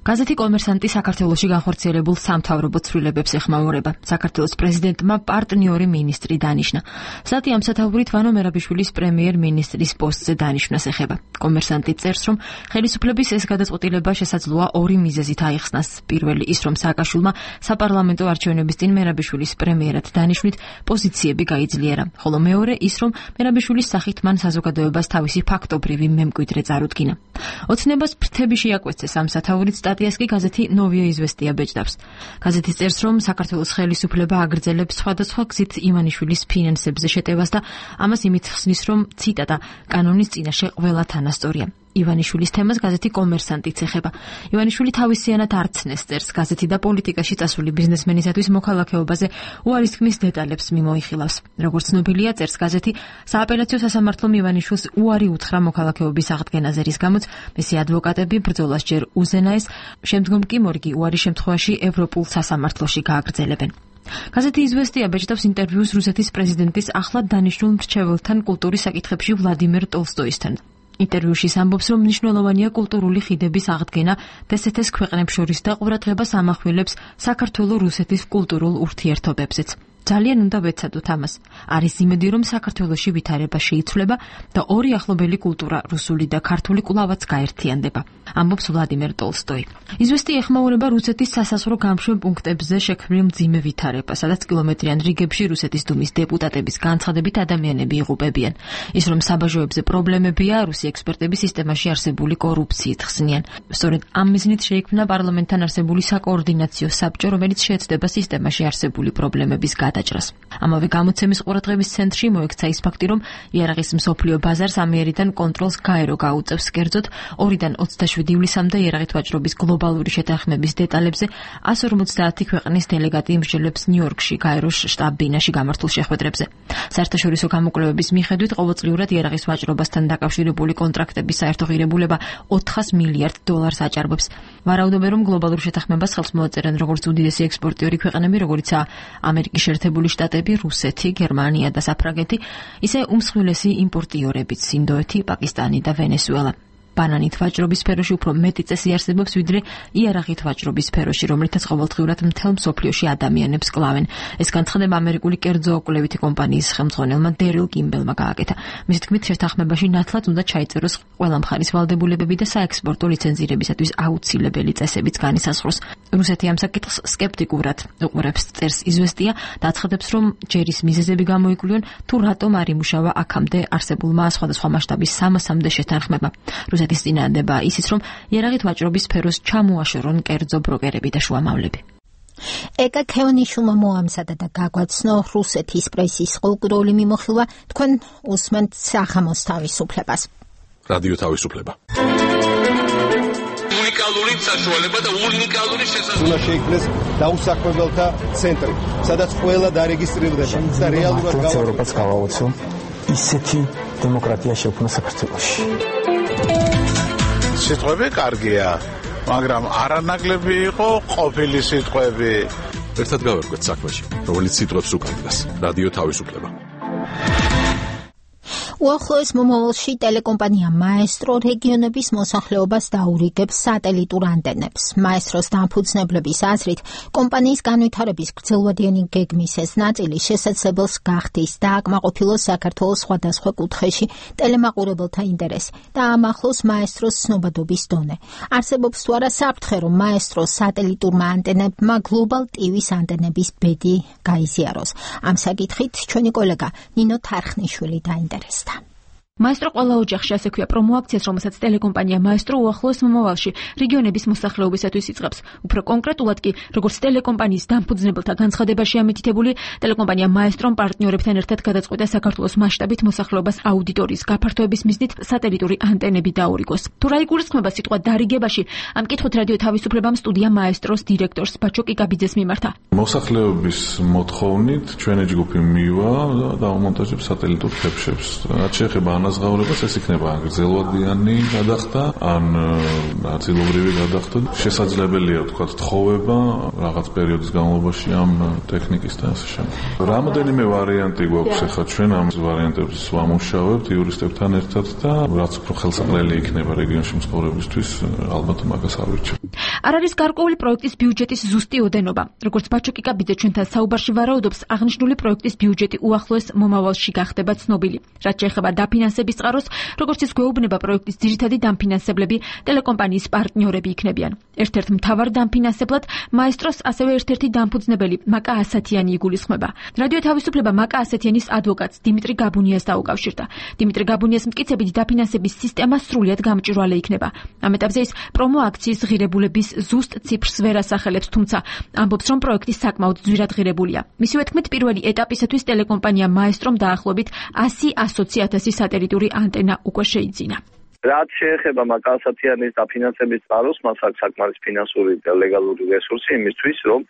გაზეთი კომერსანტი საქართველოში განხორციელებულ სამთავრობო ცვლილებებს ეხმაურება. საქართველოს პრეზიდენტმა პარტნიორი მინისტრი დანიშნა. სტატია ამსათაურით ვანო მერაბიშვილის პრემიერ-მინისტრის პოსტზე დანიშვნას ეხება. კომერსანტი წერს, რომ ხელისუფლების ეს გადაწყვეტილება შესაძლოა ორი მიზეზით აიხსნას. პირველი ის, რომ სააკაშვილმა საპარლამენტო არჩევნების წინ მერაბიშვილის პრემიერად დანიშვნით პოზიციები გაიძლიერა, ხოლო მეორე ის, რომ მერაბიშვილის სახით მან საზოგადოებას თავისი ფაქტობრივი მემკვიდრე წარუდგინა. ოცნებას ფრთები შეაკვეცეს ამ სათაურით სტატიას კი გაზეთი ნოვია იზვესტია ბეჭდავს. გაზეთი წერს, რომ საქართველოს ხელისუფლება აგრძელებს სხვადასხვა გზით ივანიშვილის ფინანსებზე შეტევას და ამას იმით ხსნის, რომ ციტატა კანონის წინაშე ყველა თანასწორია. ივანიშვილის თემას გაზეთი კომერსანტიც ეხება. ივანიშვილი თავისიანად არცნეს წერს გაზეთი და პოლიტიკაში წასული ბიზნესმენისათვის მოქალაქეობაზე უარისქმის დეტალებს მიმოიხილავს. როგორც ცნობილია, წერს გაზეთი, სააპელაციო სასამართლომ ივანიშვილს უარი უთხრა მოქალაქეობის აღდგენაზე, რის გამოც მისი ადვოკატები ბრძოლას ჯერ უზენაეს, შემდგომ კი მორგი უარის შემთხვევაში ევროპულ სასამართლოში გააგრძელებენ. გაზეთი იზვესტია ბეჭდავს ინტერვიუს რუსეთის პრეზიდენტის ახლად დანიშნულ მრჩეველთან კულტურის საკითხებში ვლადიმერ ტოლსტოისთან. ინტერვიუში ამბობს, რომ მნიშვნელოვანია კულტურული ხიდების აღდგენა დსთ-ს ქვეყნებს შორის და ყურადღებას ამახვილებს საქართველო-რუსეთის კულტურულ ურთიერთობებზეც. ძალიან უნდა ვეცადოთ ამას. არის იმედი, რომ საქართველოში ვითარება შეიცვლება და ორი ახლობელი კულტურა, რუსული და ქართული კვლავაც გაერთიანდება. ამბობს ვლადიმერ ტოლსტოი. იზვესტია ეხმაურება რუსეთის სასაზღვრო გამშვებ პუნქტებზე შექმნილ მძიმე ვითარებას, სადაც კილომეტრიან რიგებში რუსეთის დუმის დეპუტატების განცხადებით ადამიანები იღუპებიან. ის, რომ საბაჟოებზე პრობლემებია, რუსი ექსპერტები სისტემაში არსებული კორუფციით ხსნიან. სწორედ ამ მიზნით შეიქმნა პარლამენტთან არსებული საკოორდინაციო საბჭო, რომელიც შეეცდება სისტემაში არსებული პრობლემების გადაჭრას. ამავე გამოცემის ყურადღების ცენტრში მოექცა ის ფაქტი, რომ იარაღის მსოფლიო ბაზარს ამიერიდან კონტროლს გაერო გაუწევს, კერძოდ ორიდან ოცდაშვიდი ივლისამდე იარაღით ვაჭრობის გლობალური შეთანხმების დეტალებზე εκατს ორმოცდაათი ქვეყნის დელეგატი იმსჯელებს ნიუ-იორკში გაეროს შტაბ-ბინაში გამართულ შეხვედრებზე. საერთაშორისო გამოკვლევების მიხედვით ყოველწლიურად იარაღის ვაჭრობასთან დაკავშირებული კონტრაქტების საერთო ღირებულება ოთხას მილიარდ დოლარს აჭარბებს. ვარაუდობენ, რომ გლობალურ შეთანხმებას ხელს მოაწერენ როგორც უდიდესი ექსპორტიორი ქვეყნები, როგორიცაა ამერიკის შეერთებული შტატები, რუსეთი, გერმანია და საფრანგეთი, ისე უმსხვილესი იმპორტიორებიც ინდოეთი, პაკისტანი და ვენესუელა. ბანანით ვაჭრობის სფეროში უფრო მეტი წესი არსებობს, ვიდრე იარაღით ვაჭრობის სფეროში, რომლითაც ყოველდღიურად მთელ მსოფლიოში ადამიანებს კლავენ. ეს განცხადება ამერიკული კერძო კვლევითი კომპანიის ხელმძღვანელმა დერილ კიმბელმა გააკეთა. მისი თქმით, შეთანხმებაში ნათლად უნდა ჩაიწეროს ყველა მხარის ვალდებულებები და საექსპორტო ლიცენზირებისათვის აუცილებელი წესებიც განისაზღვროს. რუსეთი ამ საკითხს სკეპტიკურად უყურებს, წერს იზვესტია და აცხადებს, რომ ჯერის მიზეზები გამოიკვლიონ, თუ რატომ არ იმუშავა აქამდე არსებულმა სხვადასხვა მასშტაბის სამასამდე შეთანხმება. რუსეთის წინააღმდება ისიც, რომ იარაღით ვაჭრობის სფეროს ჩამოაშორონ კერძო ბროკერები და შუამავლები. ეკა ქევანიშვილმა მოამზადა და გაგვაცნო რუსეთის პრესის ყოველკვირეული მიმოხილვა, თქვენ უსმენთ საღამოს თავისუფლებას. რადიო თავისუფლება. უნიკალური საშუალება და უნიკალური შესაძლებლობა. უნდა შეიქმნეს დაუსაქმებელთა ცენტრი, სადაც ყველა დარეგისტრირდება და რეალურად ევროპას გავაოცო ისეთი დემოკრატია შექმნა საქართველოში. სიტყვები კარგია, მაგრამ არანაკლები იყო ყოფილი სიტყვები. ერთად გავერკვეთ საქმეში, რომელიც სიტყვებს უკანდგას. რადიო თავისუფლება. უახლოეს მომავალში ტელეკომპანია მაესტრო რეგიონების მოსახლეობას დაურიგებს სატელიტურ ანტენებს. მაესტროს დამფუძნებლების აზრით, კომპანიის განვითარების გრძელვადიანი გეგმის ეს ნაწილი შესაძლებელს გახდის და აკმაყოფილოს საქართველოს სხვადასხვა კუთხეში ტელემაყურებელთა ინტერესი და ამახლოს მაესტროს ცნობადობის დონე. არსებობს თუ არა საფრთხე, რომ მაესტროს სატელიტურმა ანტენებმა გლობალ ტივის ანტენების ბედი გაიზიაროს. ამ საკითხით ჩვენი კოლეგა ნინო თარხნიშვილი დაინტერესდა. მაესტრო ყველა ოჯახში ასე ქვია პრომოაქციას, რომელსაც ტელეკომპანია მაესტრო უახლოეს მომავალში რეგიონების მოსახლეობისათვის იწყებს. უფრო კონკრეტულად კი, როგორც ტელეკომპანიის დამფუძნებელთა განცხადებაში ამიტითებული, ტელეკომპანია მაესტრომ პარტნიორებთან ერთად გადაწყვიტა საქართველოს მასშტაბით მოსახლეობას აუდიტორიის გაფართოების მიზნით სატელიტური ანტენები დაურიგოს. თუ რა იგულისხმება სიტყვა დარიგებაში, ამ კითხვით რადიო თავისუფლებამ სტუდია მაესტროს დირექტორს ბაჩო კიკაბიძეს მიმართა. მოსახლეობის მოთხოვნით ჩვენი ჯგუფი მივა და დაუმონტაჟებს სატელიტურ თებშებს. რაც შეეხება ანაზღაურებას, ეს იქნება გრძელვადიანი გადახდა, ან ნაწილობრივი გადახდა. შესაძლებელია ვთქვათ თხოვება რაღაც პერიოდის განმავლობაში ამ ტექნიკის და ასე შემდეგ. რამოდენიმე ვარიანტი გვაქვს ახლა ჩვენ ამ ვარიანტებს ვამუშავებთ იურისტებთან ერთად და რაც უფრო ხელსაყრელი იქნება რეგიონში მცხოვრებისთვის, ალბათ მაგას ავირჩევ. არ არის გარკვეული პროექტის ბიუჯეტის ზუსტი ოდენობა. როგორც ბაჩო კიკაბიძე ჩვენთან საუბარში ვარაუდობს, აღნიშნული პროექტის ბიუჯეტი უახლოეს მომავალში გახდება ცნობილი. რაც შეეხება დაფინანსების წყაროს, როგორც ის გვეუბნება, პროექტის ძირითადი დამფინანსებლები ტელეკომპანიის პარტნიორები იქნებიან. ერთ-ერთ მთავარ დამფინანსებლად მაესტროს ასევე ერთ-ერთი დამფუძნებელი მაკა ასათიანი იგულისხმება. რადიო თავისუფლება მაკა ასათიანის ადვოკატს დიმიტრი გაბუნიას დაუკავშირდა. დიმიტრი გაბუნიას მტკიცებით დაფინანსების სისტემა სრულიად გამჭვირვალე იქნება. ამ ეტაპზე ის პრომოაქციის ღირებულების ზუსტ ციფრს ვერ ასახელებს, თუმცა ამბობს, რომ პროექტი საკმაოდ ძვირად ღირებულია. მისივე თქმით, პირველი ეტაპისათვის ტელეკომპანია მაესტრომ დაახლოებით ასი ათასი სატელიტური ანტენა უკვე შეიძინა. რაც შეეხება მაკა ასათიანის დაფინანსების წყაროს, მას აქვს საკმარის ფინანსური და ლეგალური რესურსი იმისთვის, რომ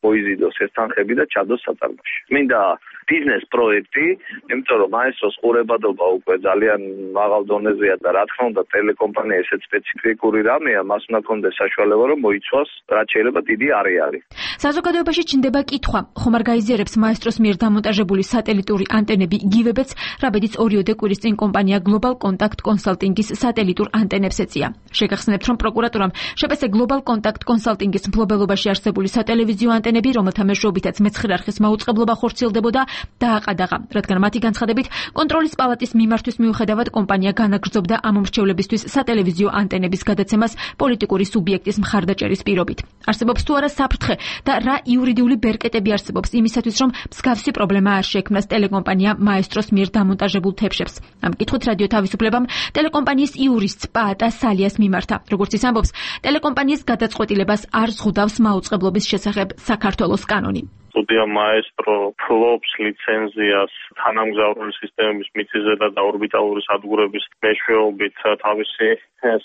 მოიზიდოს ეს თანხები და ჩადოს საწარმოში. მინდა ბიზნეს პროექტი, იმიტომ რომ მაესტროს ყურებადობა უკვე ძალიან მაღალ დონეზეა და რა თქმა უნდა ტელეკომპანია ესეც სპეციფიკური რამეა, მას უნდა კონდეს საშუალება, რომ მოიცვას რაც შეიძლება დიდი არეალი. საზოგადოებაში ჩნდება კითხვა, ხომ არ გაიზიარებს მაესტროს მიერ დამონტაჟებული სატელიტური ანტენები იგივებიც, რაბედიც ორიოდე კვირის წინ კომპანია Global Contact Consulting-ის სატელიტურ ანტენებს ეწია. შეგახსენებთ, რომ პროკურატურამ შეპესე Global Contact Consulting-ის მფლობელობაში არსებული სატელევიზიო ანტენები, რომელთა მეშვეობითაც მეცხრე არხის მაუწყებლობა ხორციელდებოდა, დააყადაღა, რადგან მათი განცხადებით, კონტროლის პალატის მიმართვის მიუხედავად კომპანია განაგრძობდა ამ მრჩევლებისთვის სატელევიზიო ანტენების გადაცემას პოლიტიკური სუბიექტის მხარდაჭერის პირობით. არსებობს თუ არა საფრთხე და რა იურიდიული ბერკეტები არსებობს იმისათვის, რომ მსგავსი პრობლემა არ შეექმნას ტელეკომპანია მაესტროს მიერ დამონტაჟებულ თებშებს. ამ კითხვით რადიო თავისუფლებამ ტელეკომპანიის იურისტს პაატა სალიას მიმართა. როგორც ის ამბობს, ტელეკომპანიის გადაწყვეტილებას არ ზღუდავს მაუწყებლობის შესახებ საქართველოს კანონი. სტუდია მაესტრო ფლობს ლიცენზიას თანამგზავრული სისტემების მიწისზედა და ორბიტალური სადგურების მეშვეობით თავისი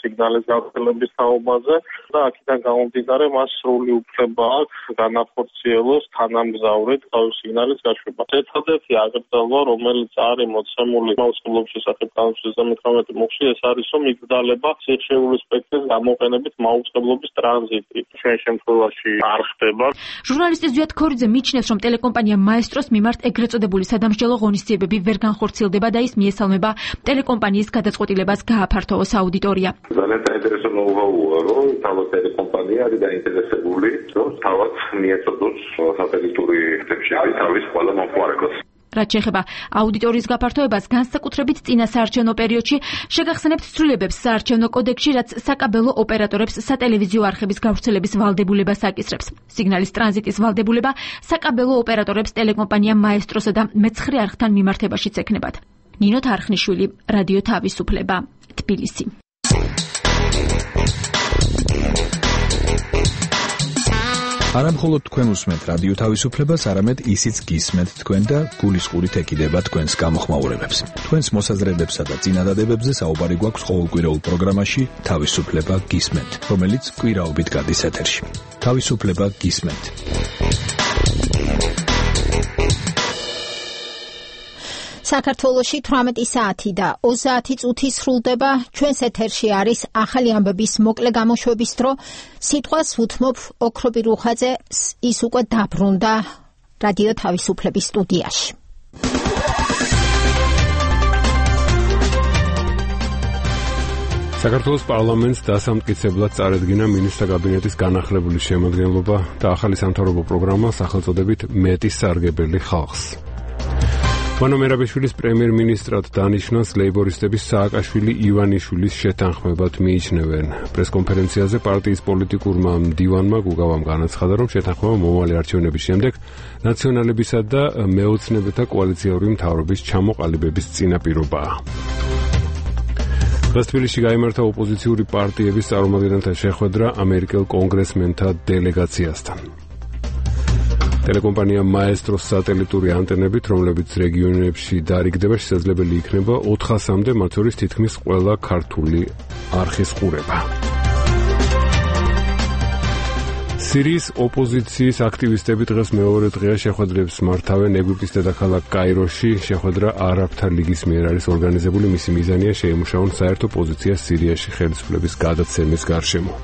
სიგნალის გავრცელების თაობაზე და აქედან გამომდინარე მას სრული უფლება აქვს განახორციელოს თანამგზავრით თავისი სიგნალის გაშვება. ერთადერთი აგრძელვა, რომელიც არის მოცემული მაუწყებლობის შესახებ კანონის მეთორმეტე მუხლში, ეს არის, რომ იგრძალება სიხშირული სპექტრის გამოყენებით მაუწყებლობის ტრანზიტი. ჩვენ შემთხვევაში არ ხდება. ჟურნალისტი ზვიად ქორიძე მიჩნევს, რომ ტელეკომპანია მაესტროს მიმართ ეგრეთ წოდებული სადამსჯელო ღონისძიებები ვერ განხორციელდება და ის მიესალმება ტელეკომპანიის გადაწყვეტილებას გააფართოვოს აუდიტორია. ძალიან საინტერესო ნოუ-ჰაუა, რომ თავად ტელეკომპანია არის დაინტერესებული, რომ თავად მიეწოდოს სატელიტური თებშები თავის ყველა მომხმარებელს. რაც შეეხება აუდიტორიის გაფართოებას, განსაკუთრებით წინა საარჩევნო პერიოდში, შეგახსენებთ ცვლილებებს საარჩევნო კოდექსში, რაც საკაბელო ოპერატორებს სატელევიზიო არხების გავრცელების ვალდებულებას აკისრებს. სიგნალის ტრანზიტის ვალდებულება საკაბელო ოპერატორებს ტელეკომპანია მაესტროსა და მეცხრე არხთან მიმართებაშიც ექნებათ. ნინო თარხნიშვილი, რადიო თავისუფლება, თბილისი. არა მხოლოდ თქვენ უსმენთ რადიო თავისუფლებას, არამედ ისიც გისმენთ თქვენ და გულისყურით ეკიდება თქვენს გამოხმაურებებს. თქვენს მოსაზრებებსა და წინადადებებზე საუბარი გვაქვს ყოველკვირეულ პროგრამაში თავისუფლება გისმენთ, რომელიც კვირაობით გადის ეთერში. თავისუფლება გისმენთ. საქართველოში თვრამეტი საათი და ოცდაათი წუთი სრულდება. ჩვენს ეთერში არის ახალი ამბების მოკლე გამოშვების დრო. სიტყვას ვუთმობ ოქრობი რუხაძე, ის უკვე დაბრუნდა რადიო თავისუფლების სტუდიაში. საქართველოს პარლამენტს დასამტკიცებლად წარედგინა მინისტრთა კაბინეტის განახლებული შემადგენლობა და ახალი სამთავრობო პროგრამა სახელწოდებით მეტი სარგებელი ხალხს. ვანო მერაბიშვილის პრემიერ-მინისტრად დანიშნას ლეიბორისტების სააკაშვილი ივანიშვილის შეთანხმებად მიიჩნევენ. პრესკონფერენციაზე პარტიის პოლიტიკურმა მდივანმა გუგავამ განაცხადა, რომ შეთანხმება მომავალი არჩევნების შემდეგ ნაციონალებისა და მეოცნებათა კოალიციური მთავრობის ჩამოყალიბების წინაპირობაა. დღეს თბილისში გაიმართა ოპოზიციური პარტიების წარმომადგენელთა შეხვედრა ამერიკელ კონგრესმენთა დელეგაციასთან. ტელეკომპანია მაესტროს სატელიტური ანტენებით, რომლებიც რეგიონებში დარიგდება, შესაძლებელი იქნება ოთხასამდე, მათ შორის თითქმის ყველა ქართული არხის ყურება. სირიის ოპოზიციის აქტივისტები დღეს მეორე დღეა შეხვედრებს მართავენ ეგვიპტის დედაქალაქ კაიროში. შეხვედრა არაბთა ლიგის მიერ არის ორგანიზებული, მისი მიზანია შეიმუშაონ საერთო პოზიცია სირიაში ხელისუფლების გადაცემის გარშემო.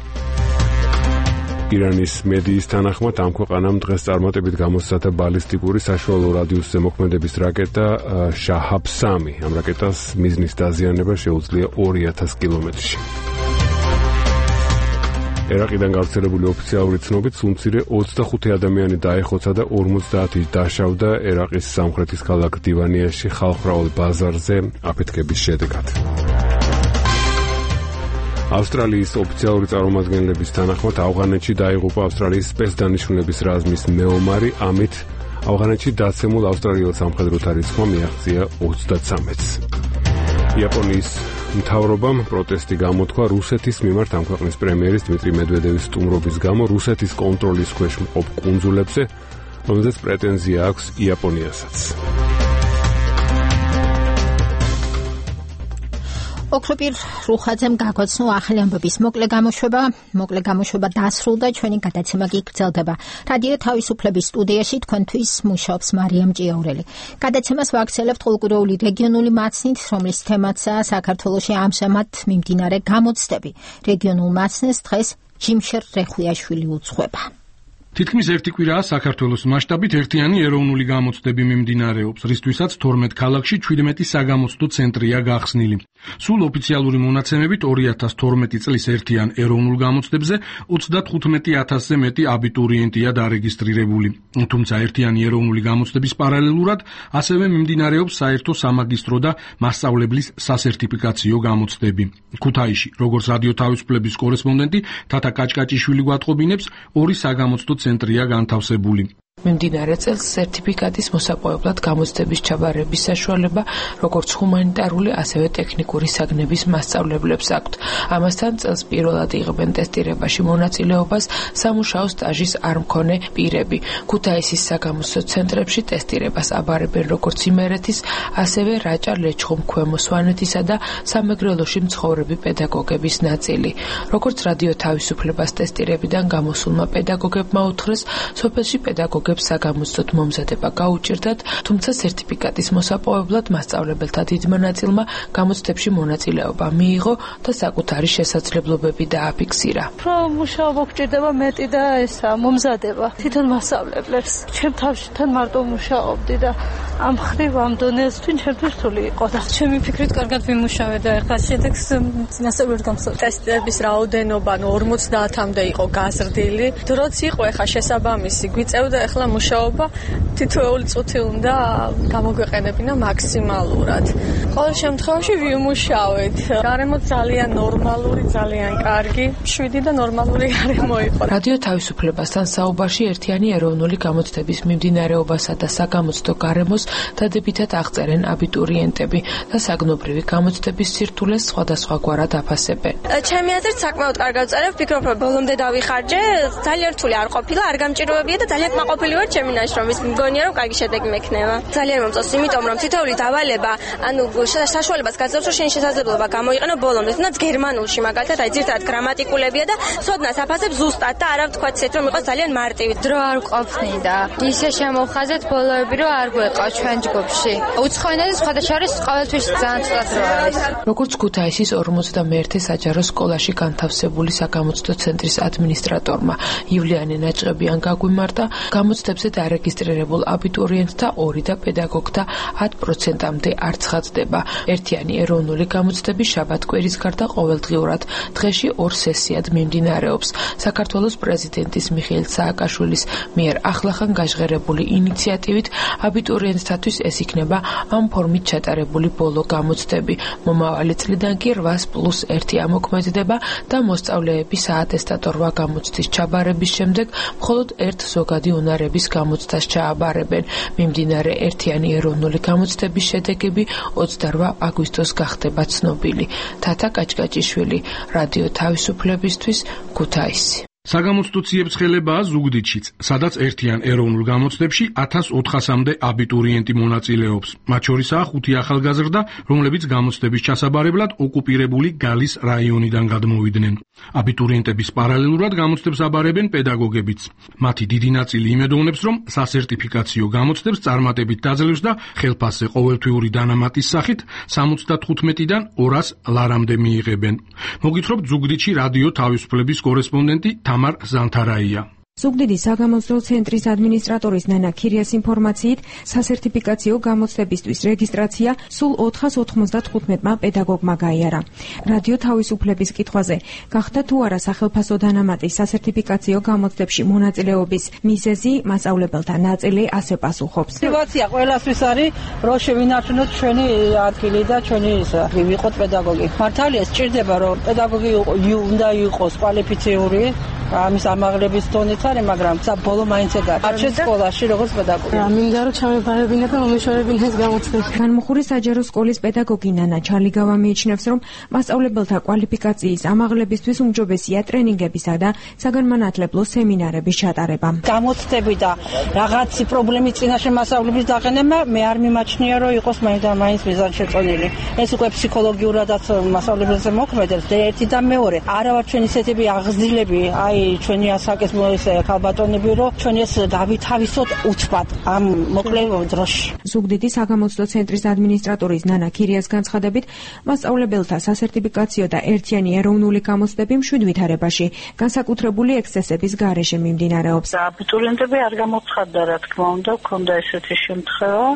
ირანის მედიის თანახმად ამ ქვეყანამ დღეს წარმატებით გამოსცადა ბალისტიკური საშუალო რადიუსზე მოქმედების რაკეტა შაჰაბ სამი. ამ რაკეტას მიზნის დაზიანება შეუძლია ორი ათასი კილომეტრში. ერაყიდან გავრცელებული ოფიციალური ცნობით სულ ოცდახუთი ადამიანი დაეხოცა და ორმოცდაათი დაშავდა ერაყის სამხრეთის ქალაქ დივანიაში ხალხმრავალ ბაზარზე აფეთქების შედეგად. ავსტრალიის ოფიციალური წარმომადგენლების თანახმად ავღანეთში დაიღუპა ავსტრალიის სპეცდანიშნულების რაზმის მეომარი, ამით ავღანეთში დაცემულ ავსტრალიელ სამხედროთა რიცხვმა მიაღწია ოცდათსამეთს. იაპონიის მთავრობამ პროტესტი გამოთქვა რუსეთის მიმართ ამ ქვეყნის პრემიერის დმიტრი მედვედევის სტუმრობის გამო რუსეთის კონტროლის ქვეშ მყოფ კუნძულებზე, რომელზეც პრეტენზია აქვს იაპონიასაც. ოქროპირ რუხაძემ გაგვაცნო ახალი ამბების მოკლე გამოშვება. მოკლე გამოშვება დასრულდა, ჩვენი გადაცემა კი გრძელდება. რადიო თავისუფლების სტუდიაში თქვენთვის მუშაობს მარიამ ჭიაურელი. გადაცემას ვაგრძელებთ ყოველკვირეული რეგიონული მაცნით, რომლის თემაცაა საქართველოში ამჟამად მიმდინარე გამოცდები. რეგიონულ მაცნეს დღეს ჯიმშერ რეხუიაშვილი უძღვება. თითქმის ერთი კვირაა საქართველოს მასშტაბით ერთიანი ეროვნული გამოცდები მიმდინარეობს, რისთვისაც თორმეტ ქალაქში ჩვიდმეტი საგამოცდო ცენტრია გახსნილი. სულ ოფიციალური მონაცემებით ორი ათას თორმეტი წლის ერთიან ეროვნულ გამოცდებზე ოცდათხუთმეტი ათასზე მეტი აბიტურიენტია დარეგისტრირებული. თუმცა ერთიანი ეროვნული გამოცდების პარალელურად ასევე მიმდინარეობს საერთო სამაგისტრო და მასწავლებლის სასერტიფიკაციო გამოცდები. ქუთაისში, როგორც რადიო თავისუფლების კორესპონდენტი თათა კაჭკაჭიშვილი გვატყობინებს, ორი საგამოცდო ცენტრია განთავსებული. მიმდინარე წელს სერტიფიკატის მოსაპოვებლად გამოცდების ჩაბარების საშუალება როგორც ჰუმანიტარული, ასევე ტექნიკური საგნების მასწავლებლებს აქვთ. ამასთან წელს პირველად იღებენ ტესტირებაში მონაწილეობას სამუშაო სტაჟის არ მქონე პირები. ქუთაისის საგამოცდო ცენტრებში ტესტირებას აბარებენ როგორც იმერეთის, ასევე რაჭა, ლეჩხუმ, ქვემო სვანეთისა და სამეგრელოში მცხოვრები პედაგოგების ნაწილი. როგორც რადიო თავისუფლებას ტესტირებიდან გამოსულმა პედაგოგებმა უთხრეს, სოფელში პედაგოგ საგამოცდოდ მომზადება გაუჭირდათ, თუმცა სერტიფიკატის მოსაპოვებლად მასწავლებელთა დიდმა ნაწილმა გამოცდებში მონაწილეობა მიიღო და საკუთარი შესაძლებლობები დააფიქსირა. Უფრო მუშაობა გვჭირდება მეტი და ესა მომზადება თვითონ მასწავლებლებს. ჩემ თავში თან მარტო მუშაობდი და ამ ხრივ ამ დონეზე თვინ ჩემთვის რთული იყო და ჩემი ფიქრით კარგად ვიმუშავე და ახლა შედეგს წინასწარ გამოსავ. ტესტების რაოდენობა ორმოცდაათამდე იყო გაზრდილი. დროც იყო ახლა შესაბამისი გვიწევდა ახლა ახლა მუშაობა თითოეული წუთი უნდა გამოგვეყენებინა მაქსიმალურად. ყოველ შემთხვევაში ვიმუშავეთ. გარემო ძალიან ნორმალური, ძალიან კარგი, შვიდი და ნორმალური გარემო იყო. რადიო თავისუფლებასთან საუბარში ერთიანი ეროვნული გამოცდების მიმდინარეობასა და საგამოცდო გარემოს დადებითად აღწერენ აბიტურიენტები და საგნობრივი გამოცდების სირთულეს სხვადასხვაგვარად აფასებენ. ჩემი აზრით საკმაოდ კარგად ვწერებ, ვფიქრობ, რომ ბოლომდე დავიხარჯე, ძალიან რთული არ ყოფილა, არ გამჭიროებია და ძალიან კმაყოფილი ვარ ჩემი ნაშრომის. მგონია რომ კარგი შედეგი მექნება. ძალიან მომწონს, იმიტომ რომ თითოეული დავალება, ანუ საშუალებას გაძლევს, რომ შენ შესაძლებლობა გამოიყენო ბოლომდე, თუნდაც გერმანულში მაგალითად, აი ძირთადად გრამატიკულებია და სოდნას აფასებ ზუსტად და არა ვთქვათ ისეთ რომ იყოს ძალიან მარტივი. დრო არ ყოფნიდა. ისე შემოვხაზეთ ბოლოები, რომ არ გვეყავ ჩვენ ჯგუფში. უცხოენაზე სხვადასხვა არის ყოველთვის ძალიან ცუდად რო არის. როგორც ქუთაისის ორმოცდამეერთე საჯარო სკოლაში განთავსებული საგამოცდო ცენტრის ადმინისტრატორმა ივლიანი ნაჭყებიან გაგვიმართა, გამოცდებზე დარეგისტრირებულ აბიტურიენტთა ორი და პედაგოგთა ათ პროცენტამდე არ ცხადდება. ერთიანი ეროვნული გამოცდები შაბათ-კვირის გარდა ყოველდღიურად დღეში ორ სესიად მიმდინარეობს. საქართველოს პრეზიდენტის მიხეილ სააკაშვილის მიერ ახლახან გაჟღერებული ინიციატივით აბიტურიენტთათვის ეს იქნება ამ ფორმით ჩატარებული ბოლო გამოცდები. მომავალი წლიდან კი რვას პლუს ერთი ამოქმედდება და მოსწავლეები საატესტატო რვა გამოცდის ჩაბარების შემდეგ მხოლოდ ერთ ზოგადი უნარების გამოცდას ჩააბარებენ. მიმდინარე ერთიანი ეროვნული გამოცდების შედეგები ოცდარვა აგვისტოს გახდება ცნობილი. თათა კაჭკაჭიშვილი, რადიო თავისუფლებისთვის, ქუთაისი. საგამოცდო ციებს ხელებაა ზუგდიდშიც, სადაც ერთიან ეროვნულ გამოცდებში ათას ოთხასამდე აბიტურიენტი მონაწილეობს. მათ შორისაა ხუთი ახალგაზრდა, რომლებიც გამოცდების ჩასაბარებლად ოკუპირებული გალის რაიონიდან გადმოვიდნენ. აბიტურიენტების პარალელურად გამოცდებს აბარებენ პედაგოგებიც. მათი დიდი ნაწილი იმედოვნებს, რომ სასერტიფიკაციო გამოცდებს წარმატებით დაძლევს და ხელფასზე ყოველთვიური დანამატის სახით სამოცდათხუთმეტიდან ორას ლარამდე მიიღებენ. მოგითხრობთ ზუგდიდში რადიო თავისუფლების კორესპონდენტი თამარ ზანთარაია. ზუგდიდის საგამოცდო ცენტრის ადმინისტრატორის ნანა ქირიას ინფორმაციით, სასერტიფიკაციო გამოცდებისთვის რეგისტრაცია სულ ოთხას ოცდათხუთმეტმა პედაგოგმა გაიარა. რადიო თავისუფლების კითხვაზე, გახდა თუ არა სახელფასო დანამატის სასერტიფიკაციო გამოცდებში მონაწილეობის მიზეზი, მასწავლებელთა ნაწილი ასე პასუხობს. мотивация ყველასთვის არის, რომ შევინარჩუნოთ ჩვენი ადგილი და ჩვენი ისა, ვიყოთ პედაგოგი. მართალია სჭირდება, რომ პედაგოგი უნდა იყოს კვალიფიციური, ამის ამაღლების დონით არის, მაგრამ საბოლოო მაინც ეგ არის. სკოლაში როგორც პედაგოგი. მინდა რომ ჩამეფარებინა და მომეშორებინა ეს გამოცდები. განმუხურის საჯარო სკოლის პედაგოგი ნანა ჩალიგავა მიიჩნევს, რომ მასწავლებელთა კვალიფიკაციის ამაღლებისთვის უმჯობესია ტრენინგებისა და საგანმანათლებლო სემინარების ჩატარება. გამოცდები და რაღაცი პრობლემის წინაშე მასწავლების დაყენება მე არ მიმაჩნია, რომ იყოს მაინც და მაინც მიზანშეწონილი. ეს უკვე ფსიქოლოგიურადაც მასწავლებელზე მოქმედებს და ერთი და მეორე. არა ვარ ჩვენ ისეთები აღზრდილები, აი ჩვენი ასაკის მოესე ქალბატონები, რომ ჩვენ ეს გავითავისოთ უცბად ამ მოკლე დროში. ზუგდიდის საგამოცდო ცენტრის ადმინისტრატორის ნანა ქირიას განცხადებით, მასწავლებელთა სასერტიფიკაციო და ერთიანი ეროვნული გამოცდები მშვიდ ვითარებაში, განსაკუთრებული ექსცესების გარეშე მიმდინარეობს. აბიტურიენტები არ გამოცხადდა, რა თქმა უნდა, ქონდა ესეთი შემთხვევა.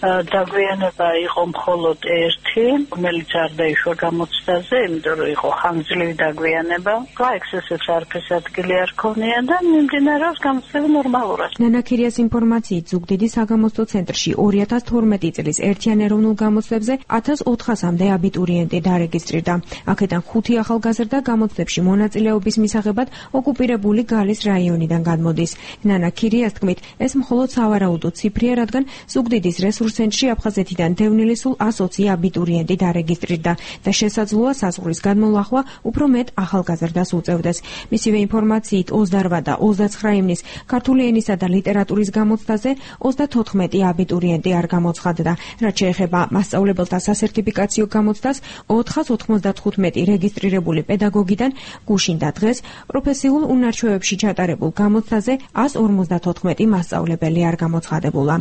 დაგვიანება იყო მხოლოდ ერთი, რომელიც არ დაიშვა გამოცდაზე, იმიტომ რომ იყო ხანგრძლივი დაგვიანება. ექსცესებს არაფერს ადგილი არ ქონია და მიმდინარეობს გამოცდები ნორმალურად. ნანა ქირიას ინფორმაციით, ზუგდიდის საგამოცდო ცენტრში ორი ათას თორმეტი წლის ერთიან ეროვნულ გამოცდებზე ათას ოთხასამდე აბიტურიენტი დარეგისტრირდა. აქედან ხუთი ახალგაზრდა გამოცდებში მონაწილეობის მისაღებად ოკუპირებული გალის რაიონიდან გადმოდის. ნანა ქირიას თქმით, ეს მხოლოდ სავარაუდო ციფრია, რადგან ზუგდიდის რესურს ცენტრში აფხაზეთიდან დევნილი სულ ას ოცი აბიტურიენტი დარეგისტრირდა და შესაძლოა საზღვრის გადმოლახვა უფრო მეტ ახალგაზრდას უწევდეს. მისივე ინფორმაციით, ოცდარვა და ოცდაცხრა ივნის ქართული ენისა და ლიტერატურის გამოცდაზე ოცდათოთხმეტი აბიტურიენტი არ გამოცხადდა. რაც შეეხება მასწავლებელთა სასერტიფიკაციო გამოცდას, ოთხას ოცდათხუთმეტი რეგისტრირებული პედაგოგიდან გუშინ და დღეს პროფესიულ უნარჩვევებში ჩატარებულ გამოცდაზე ას ორმოცდათოთხმეტი მასწავლებელი არ გამოცხადებულა.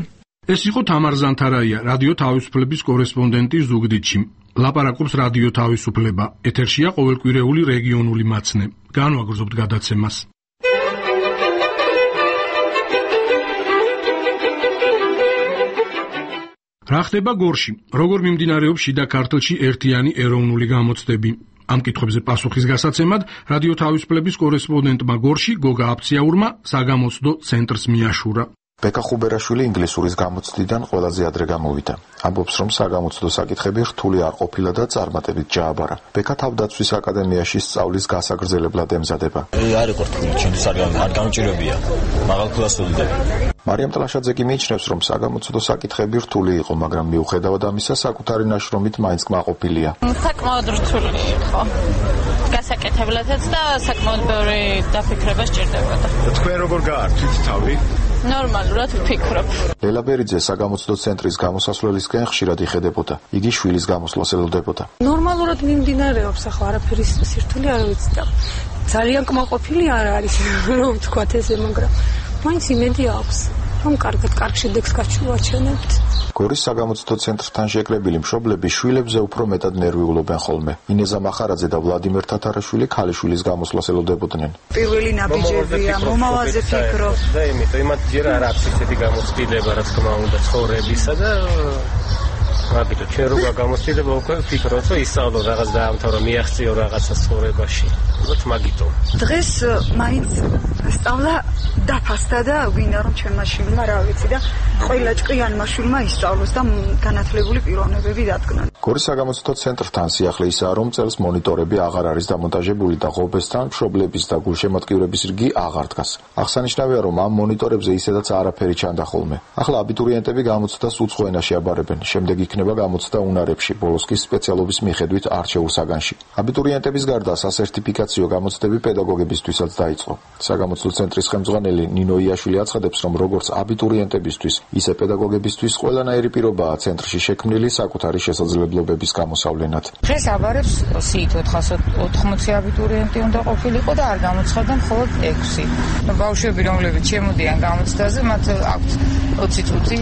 ეს იყო თამარ ზანთარაია, რადიო თავისუფლების კორესპონდენტი ზუგდიდში. ლაპარაკობს რადიო თავისუფლება. ეთერშია ყოველკვირეული რეგიონული მაცნე. განვაგრძობთ გადაცემას. რა ხდება გორში? როგორ მიმდინარეობს შიდა ქართლში ერთიანი ეროვნული გამოცდები? ამ კითხვებზე პასუხის გასაცემად რადიო თავისუფლების კორესპონდენტმა გორში გოგა აფციაურმა საგამოცდო ცენტრს მიაშურა. ბეკა ხუბერაშვილი ინგლისურის გამოცდიდან ყველაზე ადრე გამოვიდა. ამბობს, რომ საგამოცდო საკითხები რთული არ ყოფილა და წარმატებით ჯააბარა. ბეკა თავდაცვის აკადემიაში სწავლის გასაგრძელებლად ემზადება. არ იყო რთული, ჩემთვის არ გამჭირებია. მაღალ ფულას ვიდები. მარიამ ტლაშაძე კი მიიჩნევს, რომ საგამოცდო საკითხები რთული იყო, მაგრამ მიუხედავად ამისა, საკუთარი ნაშრომით მაინც კმაყოფილია. საკმაოდ რთული იყო. გასაკეთებლადაც და საკმაოდ ბევრი დაფიქრება სჭირდებოდა. თქვენ როგორ გაართვით თავი? ნორმალურად ვფიქრობ. ლელა ბერიძე საგამოცდო ცენტრის გამოსასვლელისკენ ხშირად იხედებოდა. იგი შვილის გამოსვლას ელოდებოდა. ნორმალურად მიმდინარეობს, ახლა არაფერი სირთული არ ვიცი და ძალიან კმაყოფილი არ არის, რომ ვთქვათ ესე, მაგრამ მაინც იმედი აქვს, რომ კარგად კარგ შედეგს გავაჩვენებთ. გორის საგამოცდო ცენტრთან შეკრებილი მშობლები შვილებზე უფრო მეტად ნერვიულობენ ხოლმე. ინეზა მახარაძე და ვლადიმერ თათარაშვილი ქალიშვილის გამოსვლას ელოდებოდნენ. პირველი ნაბიჯებია, მომავალზე ფიქრობ. და იმიტომ იმათ ჯერ არ აქვს ისეთი გამოცდილება, რა თქმა უნდა, ცხოვრებისა და მაგიტო ჩვენ როგორ გამოცდილება უკვე ვფიქრობთ, რომ ისწავლო რაღაც დაამთავრო, მიაღწიო რაღაცა ცხოვრებაში. უბრალოდ მაგიტო. დღეს მაინც სწავლა დაფასდა და ვინა რომ ჩემმა შვილმა რა ვიცი და ყველა ჭკვიანმა შვილმა ისწავლოს და განათლებული პიროვნებები დადგნენ. გორის საგამოცდო ცენტრთან სიახლე ისაა, რომ წელს მონიტორები აღარ არის დამონტაჟებული და ღობესთან მშობლების და გულშემატკივრების რიგი აღარ დგას. აღსანიშნავია, რომ ამ მონიტორებზე ისედაც არაფერი ჩანდა ხოლმე. ახლა აბიტურიენტები გამოცდას უცხო ენაში აბარებენ. შემდეგ იქნება გამოცდა უნარებში, ბოლოს კი სპეციალობის მიხედვით არჩეულ საგანში. აბიტურიენტების გარდა სასერტიფიკაციო გამოცდები პედაგოგებისთვისაც დაიწყო. საგამოცდო ცენტრის ხელმძღვანელი ნინო იაშვილი აცხადებს, რომ როგორც აბიტურიენტებისთვის, ისე პედაგოგებისთვის ყველანაირი პირობაა ცენტრში შექმნილი საკუთარი შესაძლებლობების გამოსავლენად. დღეს აბარებს სიით ოთხას ოთხმოცი აბიტურიენტი უნდა ყოფილიყო და არ გამოცხადდა მხოლოდ ექვსი. ბავშვები, რომლებიც შემოდიან გამოცდაზე, მათ აქვთ ოცი წუთი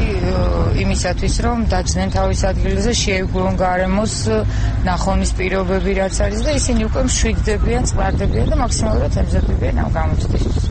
იმისათვის, რომ დაჯდნენ თავის ადგილზე, შეეგუონ გარემოს ნახონის პირობები რაც არის და ისინი უკვე მშვიდდებიან, წყარდებიან და მაქსიმალურად ემზადებიან ამ გამოცდისთვის.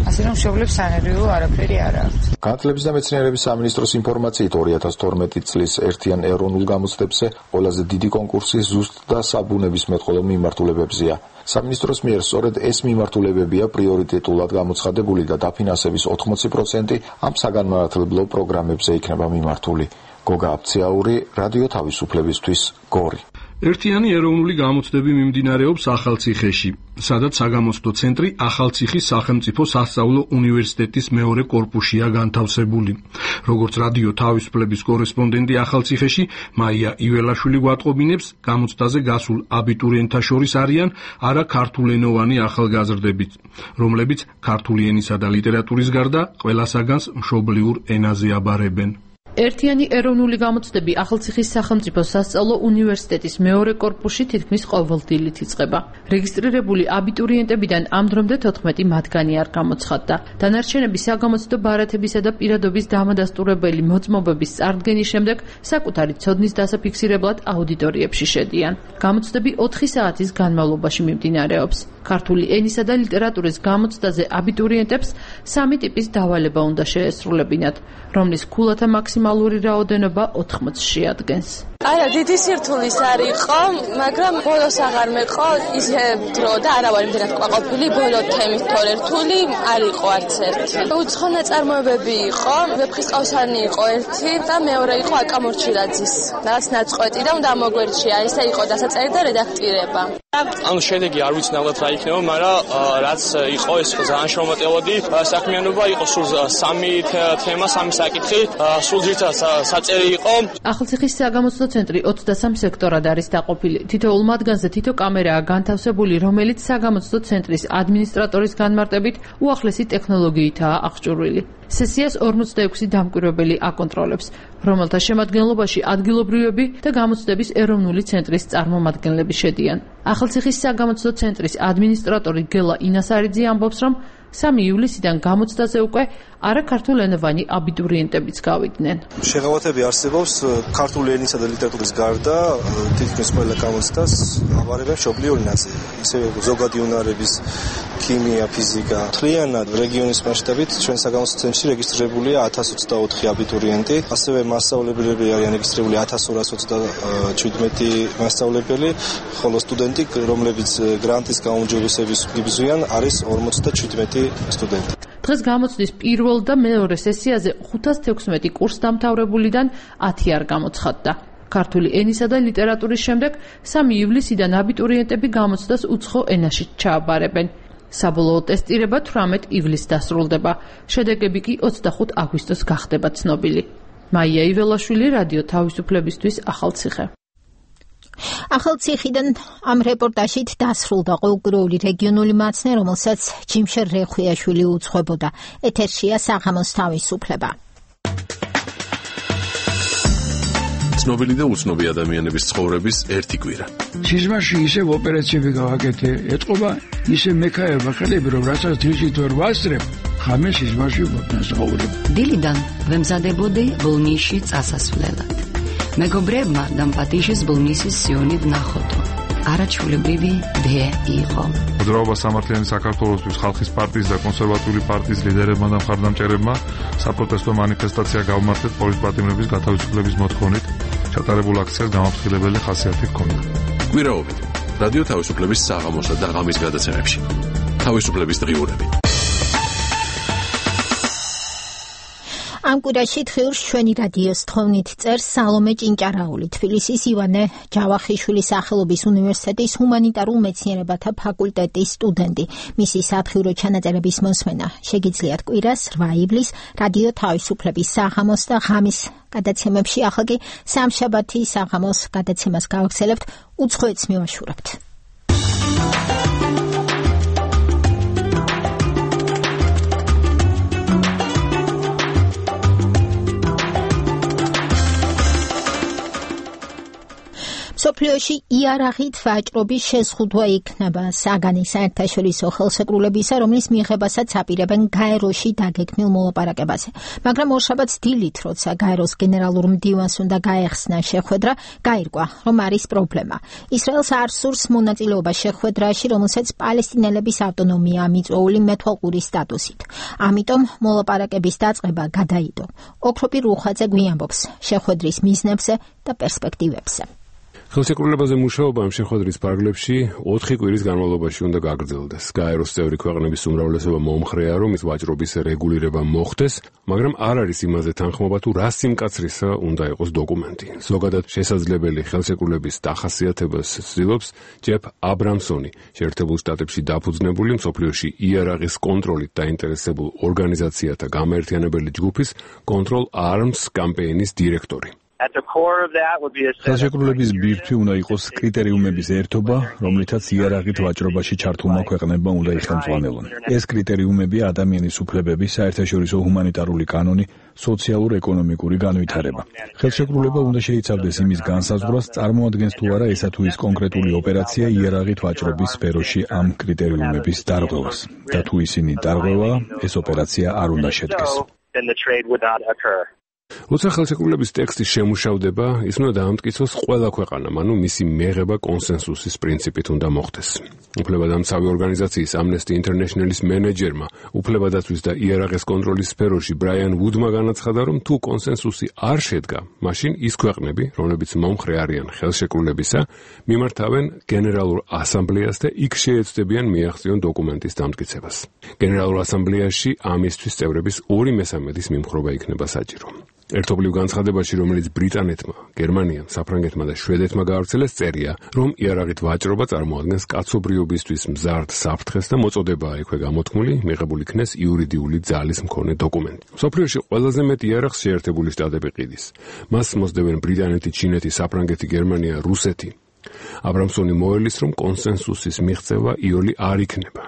ასე რომ მშობლებს სანერვიო არაფერი არ აქვს. განათლების და მეცნიერების სამინისტროს ინფორმაციით ორი ათას თორმეტი წლის ერთიან ეროვნულ გამოცდებზე ყველაზე დიდი კონკურსი ზუსტ და საბუნებისმეტყველო მიმართულებებზეა. სამინისტროს მიერ სწორედ ეს მიმართულებებია პრიორიტეტულად გამოცხადებული და დაფინანსების ოთხმოცი პროცენტი ამ საგანმანათლებლო პროგრამებზე იქნება მიმართული. გოგა აფციაური, რადიო თავისუფლებისთვის, გორი. ერთიანი ეროვნული გამოცდები მიმდინარეობს ახალციხეში, სადაც საგამოცდო ცენტრი ახალციხის სახელმწიფო სასწავლო უნივერსიტეტის მეორე კორპუსშია განთავსებული. როგორც რადიო თავისუფლების კორესპონდენტი ახალციხეში, მაია იველაშვილი გვატყობინებს, გამოცდაზე გასულ აბიტურიენტთა შორის არიან არა ქართულენოვანი ახალგაზრდებიც, რომლებიც ქართული ენისა და ლიტერატურის გარდა ყველა საგანს მშობლიურ ენაზე აბარებენ. ერთიანი ეროვნული გამოცდები ახალციხის სახელმწიფო სასწავლო უნივერსიტეტის მეორე კორპუსში თითქმის ყოველდღიურად იწყება. რეგისტრირებული აბიტურიენტებიდან ამ დრომდე თოთხმეტი მათგანი არ გამოცხადდა. დანარჩენები საგამოცდო ბარათებისა და პირადობის დამადასტურებელი მოწმობების წარდგენის შემდეგ საკუთარი ცოდნის დასაფიქსირებლად აუდიტორიებში შედიან. გამოცდები ოთხი საათის განმავლობაში მიმდინარეობს. ქართული ენისა და ლიტერატურის გამოცდაზე აბიტურიენტებს სამი ტიპის დავალება უნდა შეესრულებინათ, რომლის ქულათა მაქსიმალური რაოდენობა ოთხმოცში ადგენს. არა, დიდი სირთულის არ იყო, მაგრამ ბოლოს აღარ მეყო ისე დრო და არა ვარ იმდენად ყვაყოფილი, ბოლო თემის თორე რთული არ იყო არც ერთი. უცხო ნაწარმოებები იყო, ვეფხისტყაოსანი იყო ერთი და მეორე იყო აკამორჩილაძის. რაღაც ნაწყვეტი და უნდა მოგვერჩია, ესე იყო დასაწერი და რედაქტირება. ანუ შედეგი არ ვიცნაურად რა იქნება, მაგრამ რაც იყო ეს ძალიან შრომატევადი საქმიანობა იყო, სულ სამი თემა, სამი საკითხი, სულ ძირითადად საწერი იყო. ახალციხის საგამოცდო ცენტრი ოცდასამ სექტორად არის დაყოფილი. თითოეულ მათგანზე თითო კამერაა განთავსებული, რომელიც საგამოცდო ცენტრის ადმინისტრატორის განმარტებით უახლესი ტექნოლოგიითაა აღჭურვილი. სესიას ორმოცდაექვსი დამკვირვებელი აკონტროლებს, რომელთა შემადგენლობაში ადგილობრივები და გამოცდების ეროვნული ცენტრის წარმომადგენლები შედიან. ახალციხის საგამოცდო ცენტრის ადმინისტრატორი გელა ინასარიძე ამბობს, რომ სამი ივლისიდან გამოცდაზე უკვე არაქართულენოვანი აბიტურიენტებიც გავიდნენ. შეღავათები არსებობს ქართული ენისა და ლიტერატურის გარდა თითქმის ყველა გამოცდას აბარებენ მშობლიურ ენაზე. ისე ზოგადი უნარების ქიმია, ფიზიკა. მთლიანად რეგიონის მასშტაბით ჩვენ საგამოცდო ცენტრში რეგისტრირებულია ათას ოცდაოთხი აბიტურიენტი, ასევე მასწავლებლები არიან რეგისტრირებული ათას ორას ოცდაჩვიდმეტი მასწავლებელი, ხოლო სტუდენტი, რომლებიც გრანტის გაუმჯობესების გიბზვიან, არის ორმოცდაჩვიდმეტი სტუდენტი. დღეს გამოცდის პირველ და მეორე სესიაზე ხუთას თექვსმეტი კურს დამთავრებულიდან ათი არ გამოცხადდა. ქართული ენისა და ლიტერატურის შემდეგ სამი ივლისიდან აბიტურიენტები გამოცდას უცხო ენაში ჩააბარებენ. საბოლოო ტესტირება თვრამეტ ივლისს დასრულდება. შედეგები კი ოცდახუთ აგვისტოს გახდება ცნობილი. მაია იველაშვილი, რადიო თავისუფლებისთვის, ახალციხე. ახალციხიდან ამ რეპორტაჟით დასრულდა ყოველკვირეული რეგიონული მაცნე, რომელსაც ჯიმშერ რეხვიაშვილი უძღვებოდა. ეთერშია საღამოს თავისუფლება. ცნობილი და უცნობი ადამიანების ცხოვრების ერთი კვირა. სიზმარში ისევ ოპერაციები გავაკეთე, ეთყობა ისე მექაერობა ხელები, რომ რასაც თვისით ვერ ვასწრებ, ხამე სიზმარში ვაფასაურებ. დილიდან ვემზადებოდი ბოლნისში წასასვლელად. მეგობრებმა დამპატიჟეს ბოლნისის სიონი ვნახოდო. არაჩვეულებრივი დე იყო. მოძრაობა სამართლიანი საქართველოსთვის ხალხის პარტიის და კონსერვატიული პარტიის ლიდერებმა და მხარდამჭერებმა საპროტესტო მანიფესტაცია გაუმართლეს პოლიტპატიმრების გათავისუფლების მოთხოვნით. ჩატარებულ აქციას გამაფრთხილებელი ხასიათი ჰქონდა. კვირაობით რადიო თავისუფლების საღამოსა და ღამის გადაცემებში. თავისუფლების დღიურები. ამ კვირაში დღიურს ჩვენი რადიოს თხოვნით წერს სალომე ჭინჭარაული, თბილისის ივანე ჯავახიშვილის სახელობის უნივერსიტეტის ჰუმანიტარულ მეცნიერებათა ფაკულტეტის სტუდენტი. მისი სათხიურო ჩანაწერების მოსმენა შეგიძლიათ კვირას რვა ივლისს რადიო თავისუფლების საღამოს და ღამის გადაცემებში. ახლა კი სამშაბათი საღამოს გადაცემას გავაგრძელებთ, უცხოეთს მივაშურებთ. სოფლიოში იარაღით ვაჭრობის შეზღუდვა იქნება საგანის საერთაშორისო ხელშეკრულებისა, რომლის მიღებასაც აპირებენ გაეროში დაგეგმილ მოლაპარაკებაზე. მაგრამ ორშაბათს დილით, როცა გაეროს გენერალურ მდივანს უნდა გაეხსნა შეხვედრა, გაირკვა, რომ არის პრობლემა. ისრაელს არ სურს მონაწილეობა შეხვედრაში, რომელსაც პალესტინელების ავტონომია მიწვეული მეთვალყური სტატუსით. ამიტომ მოლაპარაკების დაწყება გადაიდო. ოქროპი რუხაძე გვიამბობს შეხვედრის მიზნებზე და პერსპექტივებზე. ხელშეკრულებაზე მუშაობა ამ შეხვედრის ფარგლებში ოთხი კვირის განმავლობაში უნდა გაგრძელდეს. გაეროს წევრი ქვეყნების უმრავლესობა მომხრეა, რომ ის ვაჭრობის რეგულირება მოხდეს, მაგრამ არ არის იმაზე თანხმობა, თუ რა სიმკაცრისა უნდა იყოს დოკუმენტი. ზოგადად შესაძლებელი ხელშეკრულების დახასიათებას ცდილობს ჯეფ აბრამსონი, შეერთებულ შტატებში დაფუძნებული მსოფლიოში იარაღის კონტროლით დაინტერესებულ ორგანიზაციათა გამაერთიანებელი ჯგუფის Control Arms კამპეინის დირექტორი. ხელშეკრულების ბირთვი უნდა იყოს კრიტერიუმების ერთობა, რომლითაც იარაღით ვაჭრობაში ჩართულმა ქვეყნებმა უნდა იხელმძღვანელონ. ეს კრიტერიუმები ადამიანის უფლებები, საერთაშორისო ჰუმანიტარული კანონი, სოციალურ-ეკონომიკური განვითარება. ხელშეკრულება უნდა შეიცავდეს იმის განსაზღვრას, წარმოადგენს თუ არა ესა თუ ის კონკრეტული ოპერაცია იარაღით ვაჭრობის სფეროში ამ კრიტერიუმების დარღვევას. და თუ ისინი დარღვევა, ეს ოპერაცია არ უნდა შედგეს. როცა ხელშეკრულების ტექსტი შემუშავდება, ის უნდა დაამტკიცოს ყველა ქვეყანამ, ანუ მისი მიღება კონსენსუსის პრინციპით უნდა მოხდეს. უფლებადამცავი ორგანიზაციის Amnesty International-ის მენეჯერმა უფლებადაცვის და იარაღის კონტროლის სფეროში ბრაიან ვუდმა განაცხადა, რომ თუ კონსენსუსი არ შედგა, მაშინ ის ქვეყნები, რომლებიც მომხრე არიან ხელშეკრულებისა, მიმართავენ გენერალურ ასამბლეას და იქ შეეცდებიან მიაღწიონ დოკუმენტის დამტკიცებას. გენერალურ ასამბლეაში ამისთვის წევრების ორი მესამედის მიმხრობა იქნება საჭირო. ერთობლივ განცხადებაში, რომელიც ბრიტანეთმა, გერმანიამ, საფრანგეთმა და შვედეთმა გაავრცელეს, წერია, რომ იარაღით ვაჭრობა წარმოადგენს კაცობრიობისთვის მზარდ საფრთხეს და მოწოდებაა იქვე გამოთქმული, მიღებული იქნეს იურიდიული ძალის მქონე დოკუმენტი. მსოფლიოში ყველაზე მეტ იარაღს შეერთებული შტატები ყიდის. მას მოსდევენ ბრიტანეთი, ჩინეთი, საფრანგეთი, გერმანია, რუსეთი. აბრამსონი მოელის, რომ კონსენსუსის მიღწევა იოლი არ იქნება.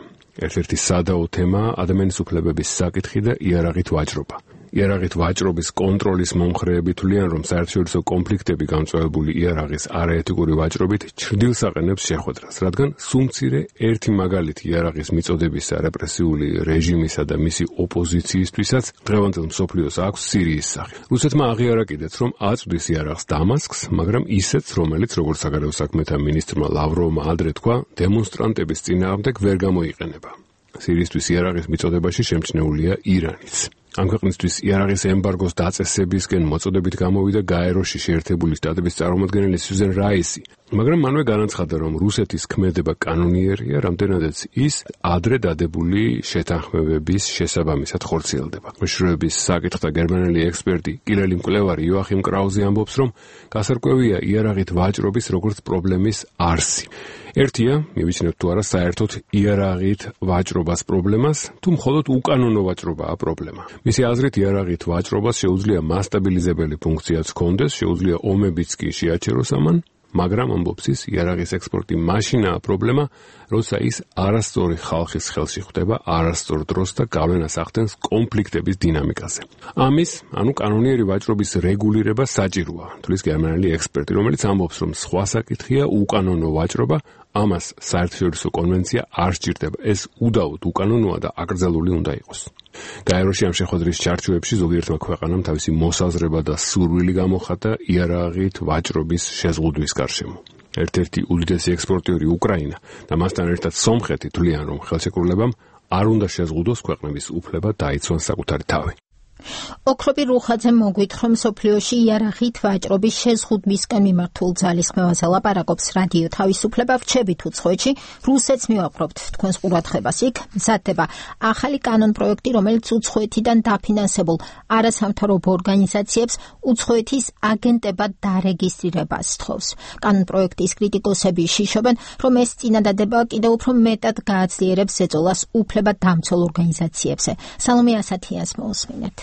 ერთ-ერთი სადაო თემაა ადამიანის უფლებების საკითხი და იარაღით ვაჭრობა. იარაღით ვაჭრობის კონტროლის მომხრეები თვლიან, რომ საერთაშორისო კონფლიქტები გამწვავებული იარაღის არაეთიკური ვაჭრობით ჩრდილს აყენებს შეხვედრას, რადგან სუმცირე ერთი მაგალითი იარაღის მიწოდებისა რეპრესიული რეჟიმისა და მისი ოპოზიციისთვისაც დღევანდელ მსოფლიოს აქვს სირიის სახე. რუსეთმა აღიარა კიდეც, რომ აწვდის იარაღს დამასკს, მაგრამ ისეთს, რომელიც, როგორც საგარეო საქმეთა მინისტრმა ლავროვმა ადრე თქვა, დემონსტრანტების წინააღმდეგ ვერ გამოიყენება. სირიისთვის იარაღის მიწოდებაში შემჩნეულია ირანიც. ამ ქვეყნისთვის იარაღის ემბარგოს დაწესებისკენ მოწოდებით გამოვიდა გაეროში შეერთებული შტატების წარმომადგენელი სუზან რაისი, მაგრამ მანვე განაცხადა, რომ რუსეთის ქმედება კანონიერია, რამდენადაც ის ადრე დადებული შეთანხმებების შესაბამისად ხორციელდება. მეშვეობის საკითხთა გერმანელი ექსპერტი, კირილი მკვლევარი იოახიმ კრაუზი ამბობს, რომ გასარკვევია იარაღით ვაჭრობის როგორც პრობლემის არსი. ერთია, მივიცნოთ თუ არა საერთოდ იარაღით ვაჭრობას პრობლემას, თუ მხოლოდ უკანონო ვაჭრობაა პრობლემა. მისი აზრით იარაღით ვაჭრობას შეუძლია მასტაბილიზებელი ფუნქციაც ჰქონდეს, შეუძლია ომებიც კი შეაჩეროს ამან, მაგრამ ამბობს ის, იარაღის ექსპორტი მაშინაა პრობლემა, როცა ის არასწორი ხალხის ხელში ხვდება არასწორ დროს და გავლენას ახდენს კონფლიქტების დინამიკაზე. ამის, ანუ კანონიერი ვაჭრობის რეგულირება საჭიროა, თვლის გერმანელი ექსპერტი, რომელიც ამბობს, რომ სხვა საკითხია უკანონო ვაჭრობა, ამას საერთაშორისო კონვენცია არ სჭირდება. ეს უდაოდ უკანონოა და აკრძალული უნდა იყოს. გაეროში ამ შეხვედრის ჩარჩოებში ზოგიერთმა ქვეყანამ თავისი მოსაზრება და სურვილი გამოხატა იარაღით ვაჭრობის შეზღუდვის გარშემო. ერთ-ერთი უდიდესი ექსპორტიორი უკრაინა და მასთან ერთად სომხეთი თვლიან, რომ ხელშეკრულებამ არ უნდა შეზღუდოს ქვეყნების უფლება დაიცვან საკუთარი თავი. ოქროპი რუხაძე მოგვითხრ, რომ სოფლიოში იარაღით ვაჭრობის შეზღუდვისკენ მიმართულ ძალისხმევაზე ლაპარაკობს რადიო თავისუფლება. ვრჩებით უცხოეთში, რუსეთს მივაყრობთ თქვენს ყურადღებას. იქ მზადდება ახალი კანონპროექტი, რომელიც უცხოეთიდან დაფინანსებულ არასამთავრობო ორგანიზაციებს უცხოეთის აგენტებად დარეგისტრირებას სთხოვს. კანონპროექტის კრიტიკოსები შიშობენ, რომ ეს წინადადება კიდევ უფრო მეტად გააძლიერებს ზეწოლას უფლებადამცველ ორგანიზაციებზე. სალომე ასათიანს მოусმინეთ.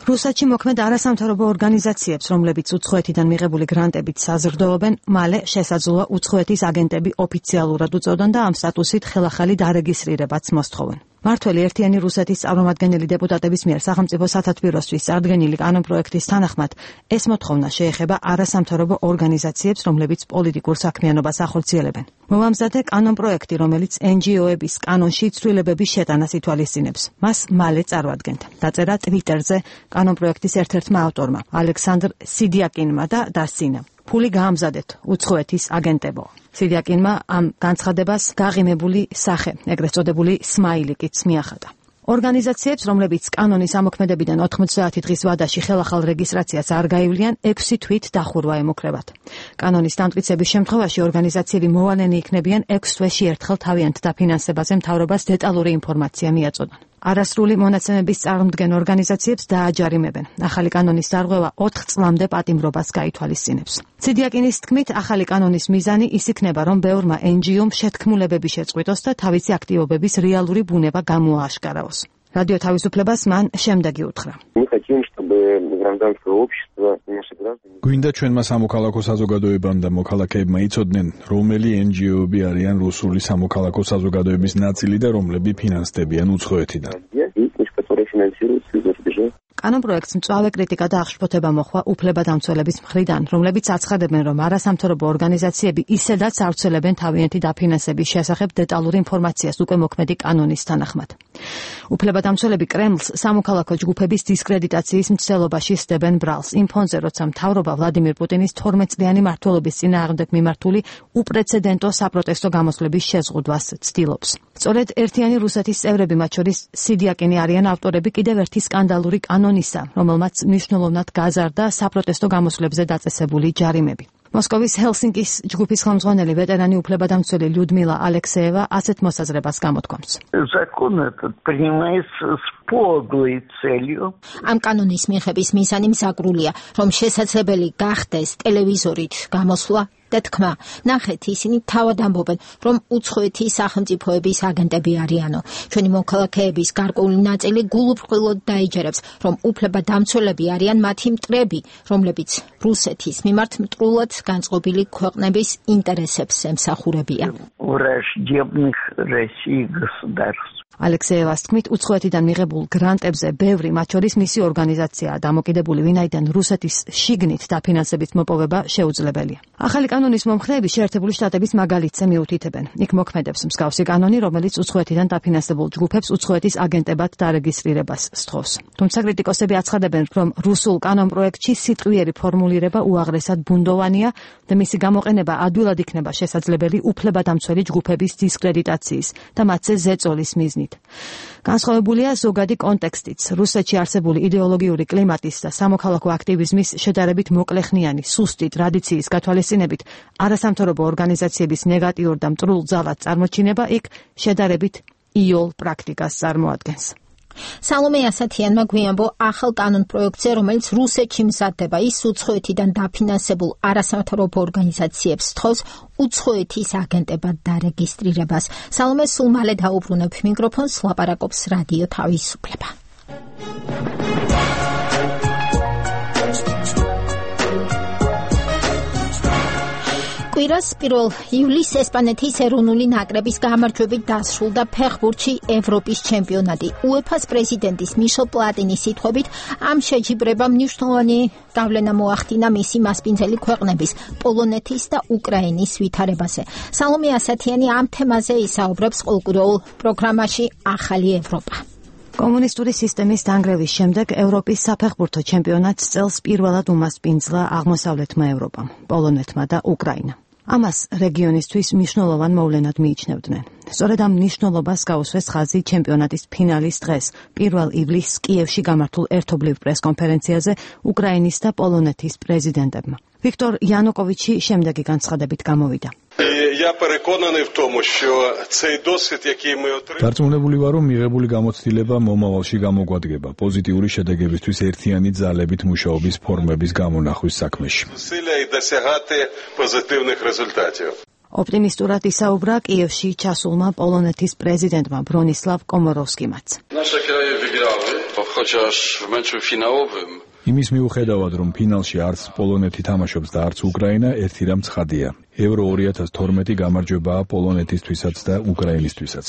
რუსეთში მოქმედ არასამთავრობო ორგანიზაციებს, რომლებიც უცხოეთიდან მიღებული გრანტებით საზრდოობენ, მალე შესაძლოა უცხოეთის აგენტები ოფიციალურად უწოდონ და ამ სტატუსით ხელახალი დარეგისტრირებაც მოსთხოვენ. მართველი ერთიანი რუსეთის წარმომადგენელი დეპუტატების მიერ სახელმწიფო სათათბიროსთვის წარდგენილი კანონპროექტის თანახმად ეს მოთხოვნა შეეხება არასამთავრობო ორგანიზაციებს, რომლებიც პოლიტიკურ საქმიანობას ახორციელებენ. მოვამზადე კანონპროექტი, რომელიც en ge o-ების კანონში ცვლილებების შეტანას ითვალისწინებს. მას მალე წარვადგენთ. დაწერა Twitter-ზე კანონპროექტის ერთ-ერთმა ავტორმა, ალექსანდრ სიდიაკინმა და დასცინა. ფული გაამზადეთ უცხოეთის აგენტებო. სიდიაკინმა ამ განცხადებას გაღიმებული სახე, ეგრეთ წოდებული სმაილიკიც მიახატა. ორგანიზაციებს, რომლებიც კანონის ამოქმედებიდან ოთხმოცდაათი დღის ვადაში ხელახალ რეგისტრაციას არ გაივლიან, ექვსი თვით დახურვა ემუქრებათ. კანონის დამტკიცების შემთხვევაში ორგანიზაციები მოვალენი იქნებიან ექვს თვეში ერთხელ თავიანთ დაფინანსებაზე მთავრობას დეტალური ინფორმაცია მიაწოდონ. არასრული მონაცემების წარმომდგენ ორგანიზაციებს დააჯარიმებენ. ახალი კანონის დარღვევა ოთხ წლამდე პატიმრობას გაითვალისწინებს. სიდიაკინის თქმით, ახალი კანონის მიზანი ის იქნება, რომ ბევრმა en ge o-მ შეთქმულებები შეწყვიტოს და თავისი აქტივობების რეალური ბუნება გამოააშკარავოს. რადიო თავისუფლებას მან შემდეგი უთხრა. გვინდა ჩვენმა სამოქალაქო საზოგადოებამ და მოქალაქეებმა იცოდნენ, რომელი en ge o-ები არიან რუსული სამოქალაქო საზოგადოების ნაწილი და რომლები ფინანსდებიან უცხოეთიდან. კანონპროექტს მწვავე კრიტიკა და აღშფოთება მოჰყვა უფლებადამცველების მხრიდან, რომლებიც აცხადებენ, რომ არასამთავრობო ორგანიზაციები ისედაც ავრცელებენ თავიანთი დაფინანსების შესახებ დეტალურ ინფორმაციას უკვე მოქმედი კანონის თანახმად. უფლებადამცველები კრემლს სამოქალაქო ჯგუფების დისკრედიტაციის მცდელობაში სდებენ ბრალს, იმ ფონზე, როცა მთავრობა ვლადიმირ პუტინის თორმეტ წლიანი მმართველობის წინააღმდეგ მიმართული უპრეცედენტო საპროტესტო გამოსვლების შეზღუდვას ცდილობს. სწორედ ერთიანი რუსეთის წევრები, მათ შორის სიდიაკინი არიან ავტორები კიდევ ერთი სკანდალური კანონისა, რომელმაც მნიშვნელოვნად გაზარდა საპროტესტო გამოსვლებზე დაწესებული ჯარიმები. მოსკოვის ჰელსინკის ჯგუფის ხელმძღვანელი ვეტერანი უფლებადამცველი ლიუდმილა ალექსეევა ასეთ მოსაზრებას გამოთქვამს. ამ კანონის მიღების მიზანი მზაგრულია, რომ შესაძლებელი გახდეს ტელევიზორით გამოსვლა და თქმა. ნახეთ, ისინი თავად ამბობენ, რომ უცხოეთის სახელმწიფოების აგენტები არიანო. ჩვენი მოქალაქეების გარკვეული ნაწილი გულუბრყვილოდ დაიჯერებს, რომ უფლებადამცველები არიან მათი მტრები, რომლებიც რუსეთის მიმართ მტრულად განწყობილი ქვეყნების ინტერესებს ემსახურებიან. ალექსეევას თქმით, უცხოეთიდან მიღებულ გრანტებზე ბევრი, მათ შორის მისი ორგანიზაციაა დამოკიდებული, ვინაიდან რუსეთის შიგნით დაფინანსებით მოპოვება შეუძლებელია. ახალი კანონის მომხრეები შეერთებული შტატების მაგალითზე მიუთითებენ. იქ მოქმედებს მსგავსი კანონი, რომელიც უცხოეთიდან დაფინანსებულ ჯგუფებს უცხოეთის აგენტებად დარეგისტრირებას სთხოვს. თუმცა კრიტიკოსები აცხადებენ, რომ რუსულ კანონპროექტში სიტყვიერი ფორმულირება უაღრესად ბუნდოვანია და მისი გამოყენება ადვილად იქნება შესაძლებელი უფლებადამცველი ჯგუფების დისკრედიტაციის და მათზე ზეწოლის მიზნით. მიზნით. განსხვავებულია ზოგადი კონტექსტიც. რუსეთში არსებული იდეოლოგიური კლიმატის და სამოქალაქო აქტივიზმის შედარებით მოკლეხნიანი, სუსტი ტრადიციის გათვალისწინებით არასამთავრობო ორგანიზაციების ნეგატიურ და მტრულ ძალად წარმოჩინება იქ შედარებით იოლ პრაქტიკას წარმოადგენს. სალომე ასათიანმა გვიანბო ახალ კანონ პროექტზე, რომელიც რუსეთში მზადდება, ის უცხოეთიდან დაფინანსებულ არასამთავრობო ორგანიზაციებს თხოვს უცხოეთის აგენტებად დარეგისტრირებას. სალომე სულ მალე დაუბრუნებ მიკროფონს, ლაპარაკობს რადიო თავისუფლება. კვირას პირველ ივლისს ესპანეთის ეროვნული ნაკრების გამარჯვებით დასრულდა ფეხბურთში ევროპის ჩემპიონატი. უეფას პრეზიდენტის მიშელ პლატინის სიტყვებით, ამ შეჯიბრებამ მნიშვნელოვანი გავლენა მოახდინა მისი მასპინძელი ქვეყნების, პოლონეთის და უკრაინის ვითარებაზე. სალომე ასათიანი ამ თემაზე ისაუბრებს ყოველკვირეულ პროგრამაში ახალი ევროპა. კომუნისტური სისტემის დანგრევის შემდეგ ევროპის საფეხბურთო ჩემპიონატს წელს პირველად უმასპინძლა აღმოსავლეთმა ევროპამ, პოლონეთმა და უკრაინამ. ამას რეგიონისთვის მნიშვნელოვან მოვლენად მიიჩნევდნენ. სწორედ ამ მნიშვნელობას გაუსვეს ხაზი ჩემპიონატის ფინალის დღეს, პირველ ივლისს კიევში გამართულ ერთობლივ პრესკონფერენციაზე უკრაინის და პოლონეთის პრეზიდენტებმა. ვიქტორ იანუკოვიჩი შემდეგი განცხადებით გამოვიდა. დარწმუნებული ვარ, რომ მიღებული გამოცდილება მომავალში გამოგვადგება პოზიტიური შედეგებისთვის ერთიანი ძალებით მუშაობის ფორმების გამონახვის საქმეში. ოპტიმისტურად ისაუბრა კიევში ჩასულმა პოლონეთის პრეზიდენტმა ბრონისლავ კომოროვსკიმაც. იმის მიუხედავად, რომ ფინალში არც პოლონეთი თამაშობს და არც უკრაინა, ერთი რამ ცხადია. ევრო ორი ათას თორმეტი გამარჯვებაა პოლონეთისთვისაც და უკრაინისთვისაც.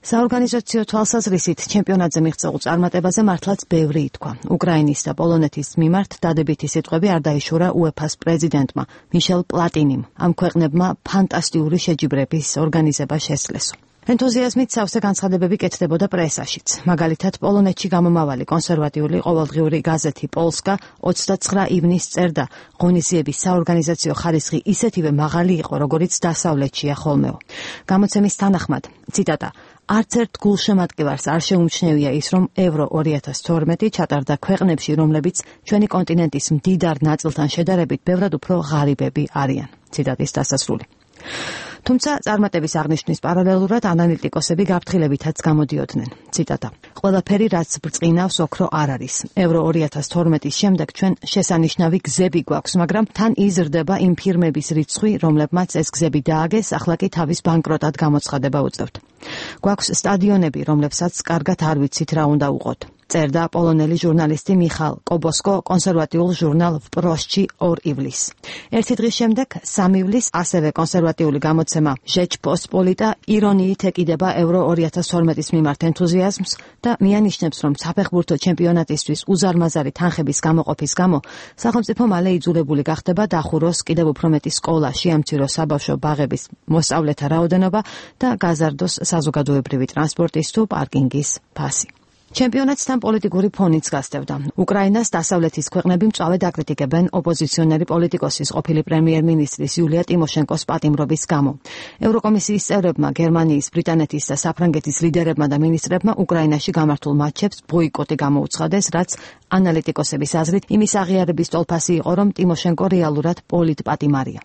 საორგანიზაციო თვალსაზრისით ჩემპიონატზე მიღწეულ წარმატებაზე მართლაც ბევრი ითქვა. უკრაინის და პოლონეთის მიმართ დადებითი სიტყვები არ დაიშურა უეფას პრეზიდენტმა მიშელ პლატინიმ. ამ ქვეყნებმა ფანტასტიკური შეჯიბრების ორგანიზება შესძლეს. ენთუზიაზმით სავსე განცხადებები კეთდებოდა პრესაშიც. მაგალითად, პოლონეთში გამომავალი კონსერვატიული ყოველდღიური გაზეთი პოლსკა ოცდაცხრა ივნისს წერდა, ღონისძიების საორგანიზაციო ხარისხი ისეთივე მაღალი იყო, როგორიც დასავლეთშია ხოლმეო. გამოცემის თანახმად, ციტატა, არც ერთ გულშემატკივარს არ შეუმჩნევია ის, რომ ევრო ორი ათას თორმეტი ჩატარდა ქვეყნებში, რომლებიც ჩვენი კონტინენტის მდიდარ ნაწილთან შედარებით ბევრად უფრო ღარიბები არიან. ციტატის დასასრული. თუმცა წარმატების აღნიშვნის პარალელურად ანალიტიკოსები გაფრთხილებითაც გამოდიოდნენ. ციტატა. ყველაფერი რაც ბრწყინავს ოქრო არ არის. ევრო ორი ათას თორმეტის შემდეგ ჩვენ შესანიშნავი გზები გვაქვს, მაგრამ თან იზრდება იმ ფირმების რიცხვი, რომლებმაც ეს გზები დააგეს, ახლა კი თავის ბანკროტად გამოცხადება უწევთ. გვაქვს სტადიონები, რომლებსაც კარგად არ ვიცით რა უნდა უყოთ. წერდა პოლონელი ჟურნალისტი მიხალ კობოსკო კონსერვატიულ ჟურნალ ვპროსჩი ორ ივლისს. ერთი დღის შემდეგ, სამ ივლისს, ასევე კონსერვატიული გამოცემა ჟეჩპოსპოლიტა ირონიით ეკიდება ევრო ორი ათას თორმეტის მიმართ ენთუზიაზმს და მიანიშნებს, რომ საფეხბურთო ჩემპიონატისთვის უზარმაზარი თანხების გამოყოფის გამო სახელმწიფო მალე იძულებული გახდება დახუროს კიდევ უფრო მეტი სკოლა, შეამციროს საბავშვო ბაღების მოსწავლეთა რაოდენობა და გაზარდოს საზოგადოებრივი ტრანსპორტის თუ პარკინგის ფასი. ჩემპიონატს თან პოლიტიკური ფონიც გასდევდა. უკრაინას დასავლეთის ქვეყნები მწვავედ აკრიტიკებენ ოპოზიციონერი პოლიტიკოსის ყოფილი პრემიერ-მინისტრის იულია ტიმოშენკოს პატიმრობის გამო. ევროკომისიის წევრებმა, გერმანიის, ბრიტანეთის და საფრანგეთის ლიდერებმა და მინისტრებმა უკრაინაში გამართულ მატჩებს ბოიკოტი გამოუცხადეს, რაც ანალიტიკოსების აზრით იმის აღიარების ტოლფასი იყო, რომ ტიმოშენკო რეალურად პოლიტპატიმარია.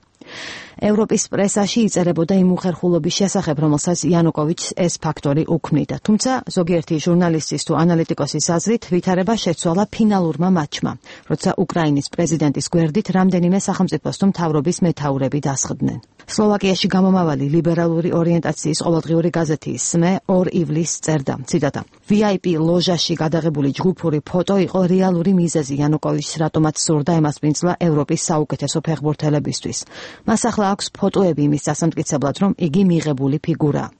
ევროპის პრესაში იწერებოდა იმ უხერხულობის შესახებ, რომელსაც იანუკოვიჩს ეს ფაქტორი უქმნიდა. თუმცა ზოგიერთი ჟურნალისტის თუ ანალიტიკოსის აზრით ვითარება შეცვალა ფინალურმა მატჩმა, როცა უკრაინის პრეზიდენტის გვერდით რამდენიმე სახელმწიფოს თუ მთავრობის მეთაურები დასხდნენ. სლოვაკიაში გამომავალი ლიბერალური ორიენტაციის ყოველდღიური გაზეთი სმე ორ ივლისს წერდა, ციტატა, ვი აი პი ლოჟაში გადაღებული ჯგუფური ფოტო იყო რეალური მიზეზი იანუკოვიჩს, რატომაც სურდა ემასპინძლა ევროპის საუკეთესო ფეხბურთელებისთვის. მას ახლა აქვს ფოტოები იმის დასამტკიცებლად, რომ იგი მიღებული ფიგურაა.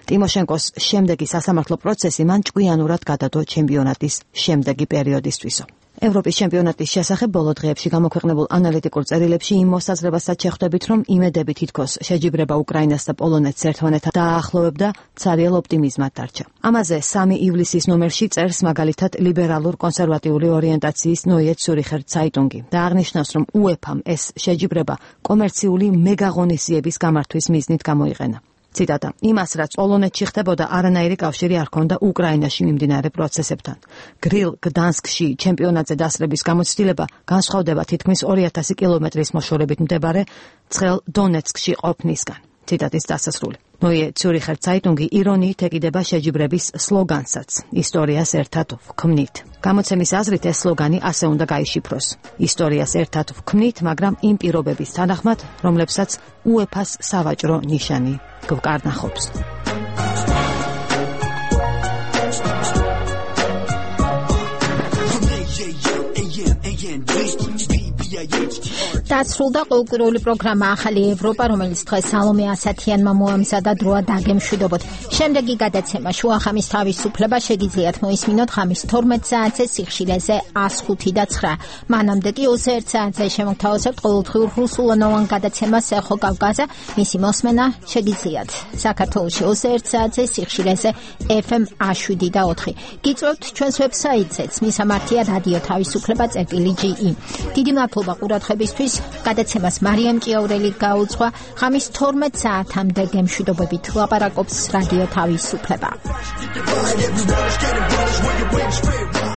ტიმოშენკოს შემდეგი სასამართლო პროცესი მან ჭკვიანურად გადადო ჩემპიონატის შემდეგი პერიოდისთვისო. ევროპის ჩემპიონატის შესახებ ბოლო დღეებში გამოქვეყნებულ ანალიტიკურ წერილებში იმ მოსაზრებასაც შეხვდებით, რომ იმედები თითქოს შეჯიბრება უკრაინას და პოლონეთს ერთმანეთთან დააახლოვებდა, ცარიელ ოპტიმიზმად დარჩა. ამაზე სამი ივლისის ნომერში წერს მაგალითად ლიბერალურ კონსერვატიული ორიენტაციის ნოიე ცურიხერ ცაიტუნგი და აღნიშნავს, რომ უეფამ ეს შეჯიბრება კომერციული მეგაღონისძიების გამართვის მიზნით გამოიყენა. ციტატა: იმას, რაც პოლონეთში ხდებოდა, არანაირი კავშირი არ ჰქონდა უკრაინაში მიმდინარე პროცესებთან. გრილ გდანსკში ჩემპიონატზე დასწრების გამოცდილება განსხვავდება თითქმის ორი ათასი კილომეტრის მოშორებით მდებარე ცხელ დონეცკში ყოფნისგან. ციტატის დასასრული. ნოიე ციურიხერ ცაიტუნგი ირონიით ეკიდება შეჯიბრების სლოგანსაც: ისტორიას ერთად ვქმნით. გამოცემის აზრით ეს სლოგანი ასე უნდა გაიშიფროს: ისტორიას ერთად ვქმნით, მაგრამ იმ პირობების თანახმად, რომლებსაც უეფას სავაჭრო ნიშანი გვკარნახობს. დასრულდა კულტურული პროგრამა ახალი ევროპა, რომელიც დღეს სალომე ასათიანმა მოამზადა დროა დაგემშვიდობოთ. შემდეგი გადაცემა შუახამის თავისუფლება შეგიძლიათ მოისმინოთ ხამის თორმეტ საათზე სიხშირეზე ას ხუთი და ცხრა. მანამდე კი ოცდაერთ საათზე შემოგთავაზებთ ყოველდღიურ რუსულენოვან გადაცემას ეხო კავკაზა. მისი მოსმენა შეგიძლიათ საქართველოში ოცდაერთ საათზე სიხშირეზე ეფ ემ შვიდ და ოთხი. გიწვევთ ჩვენს ვებსაიტზეც, მისამართია რადიო თავისუფლება წერტილი ჯი ი. დიდი მადლობა ყურადღებისთვის. გადაცემას მარიამ ჭიაურელი გაუძღვა. ხამის თორმეტ საათამდე გემშვიდობებით ლაპარაკობს რადიო თავისუფლება.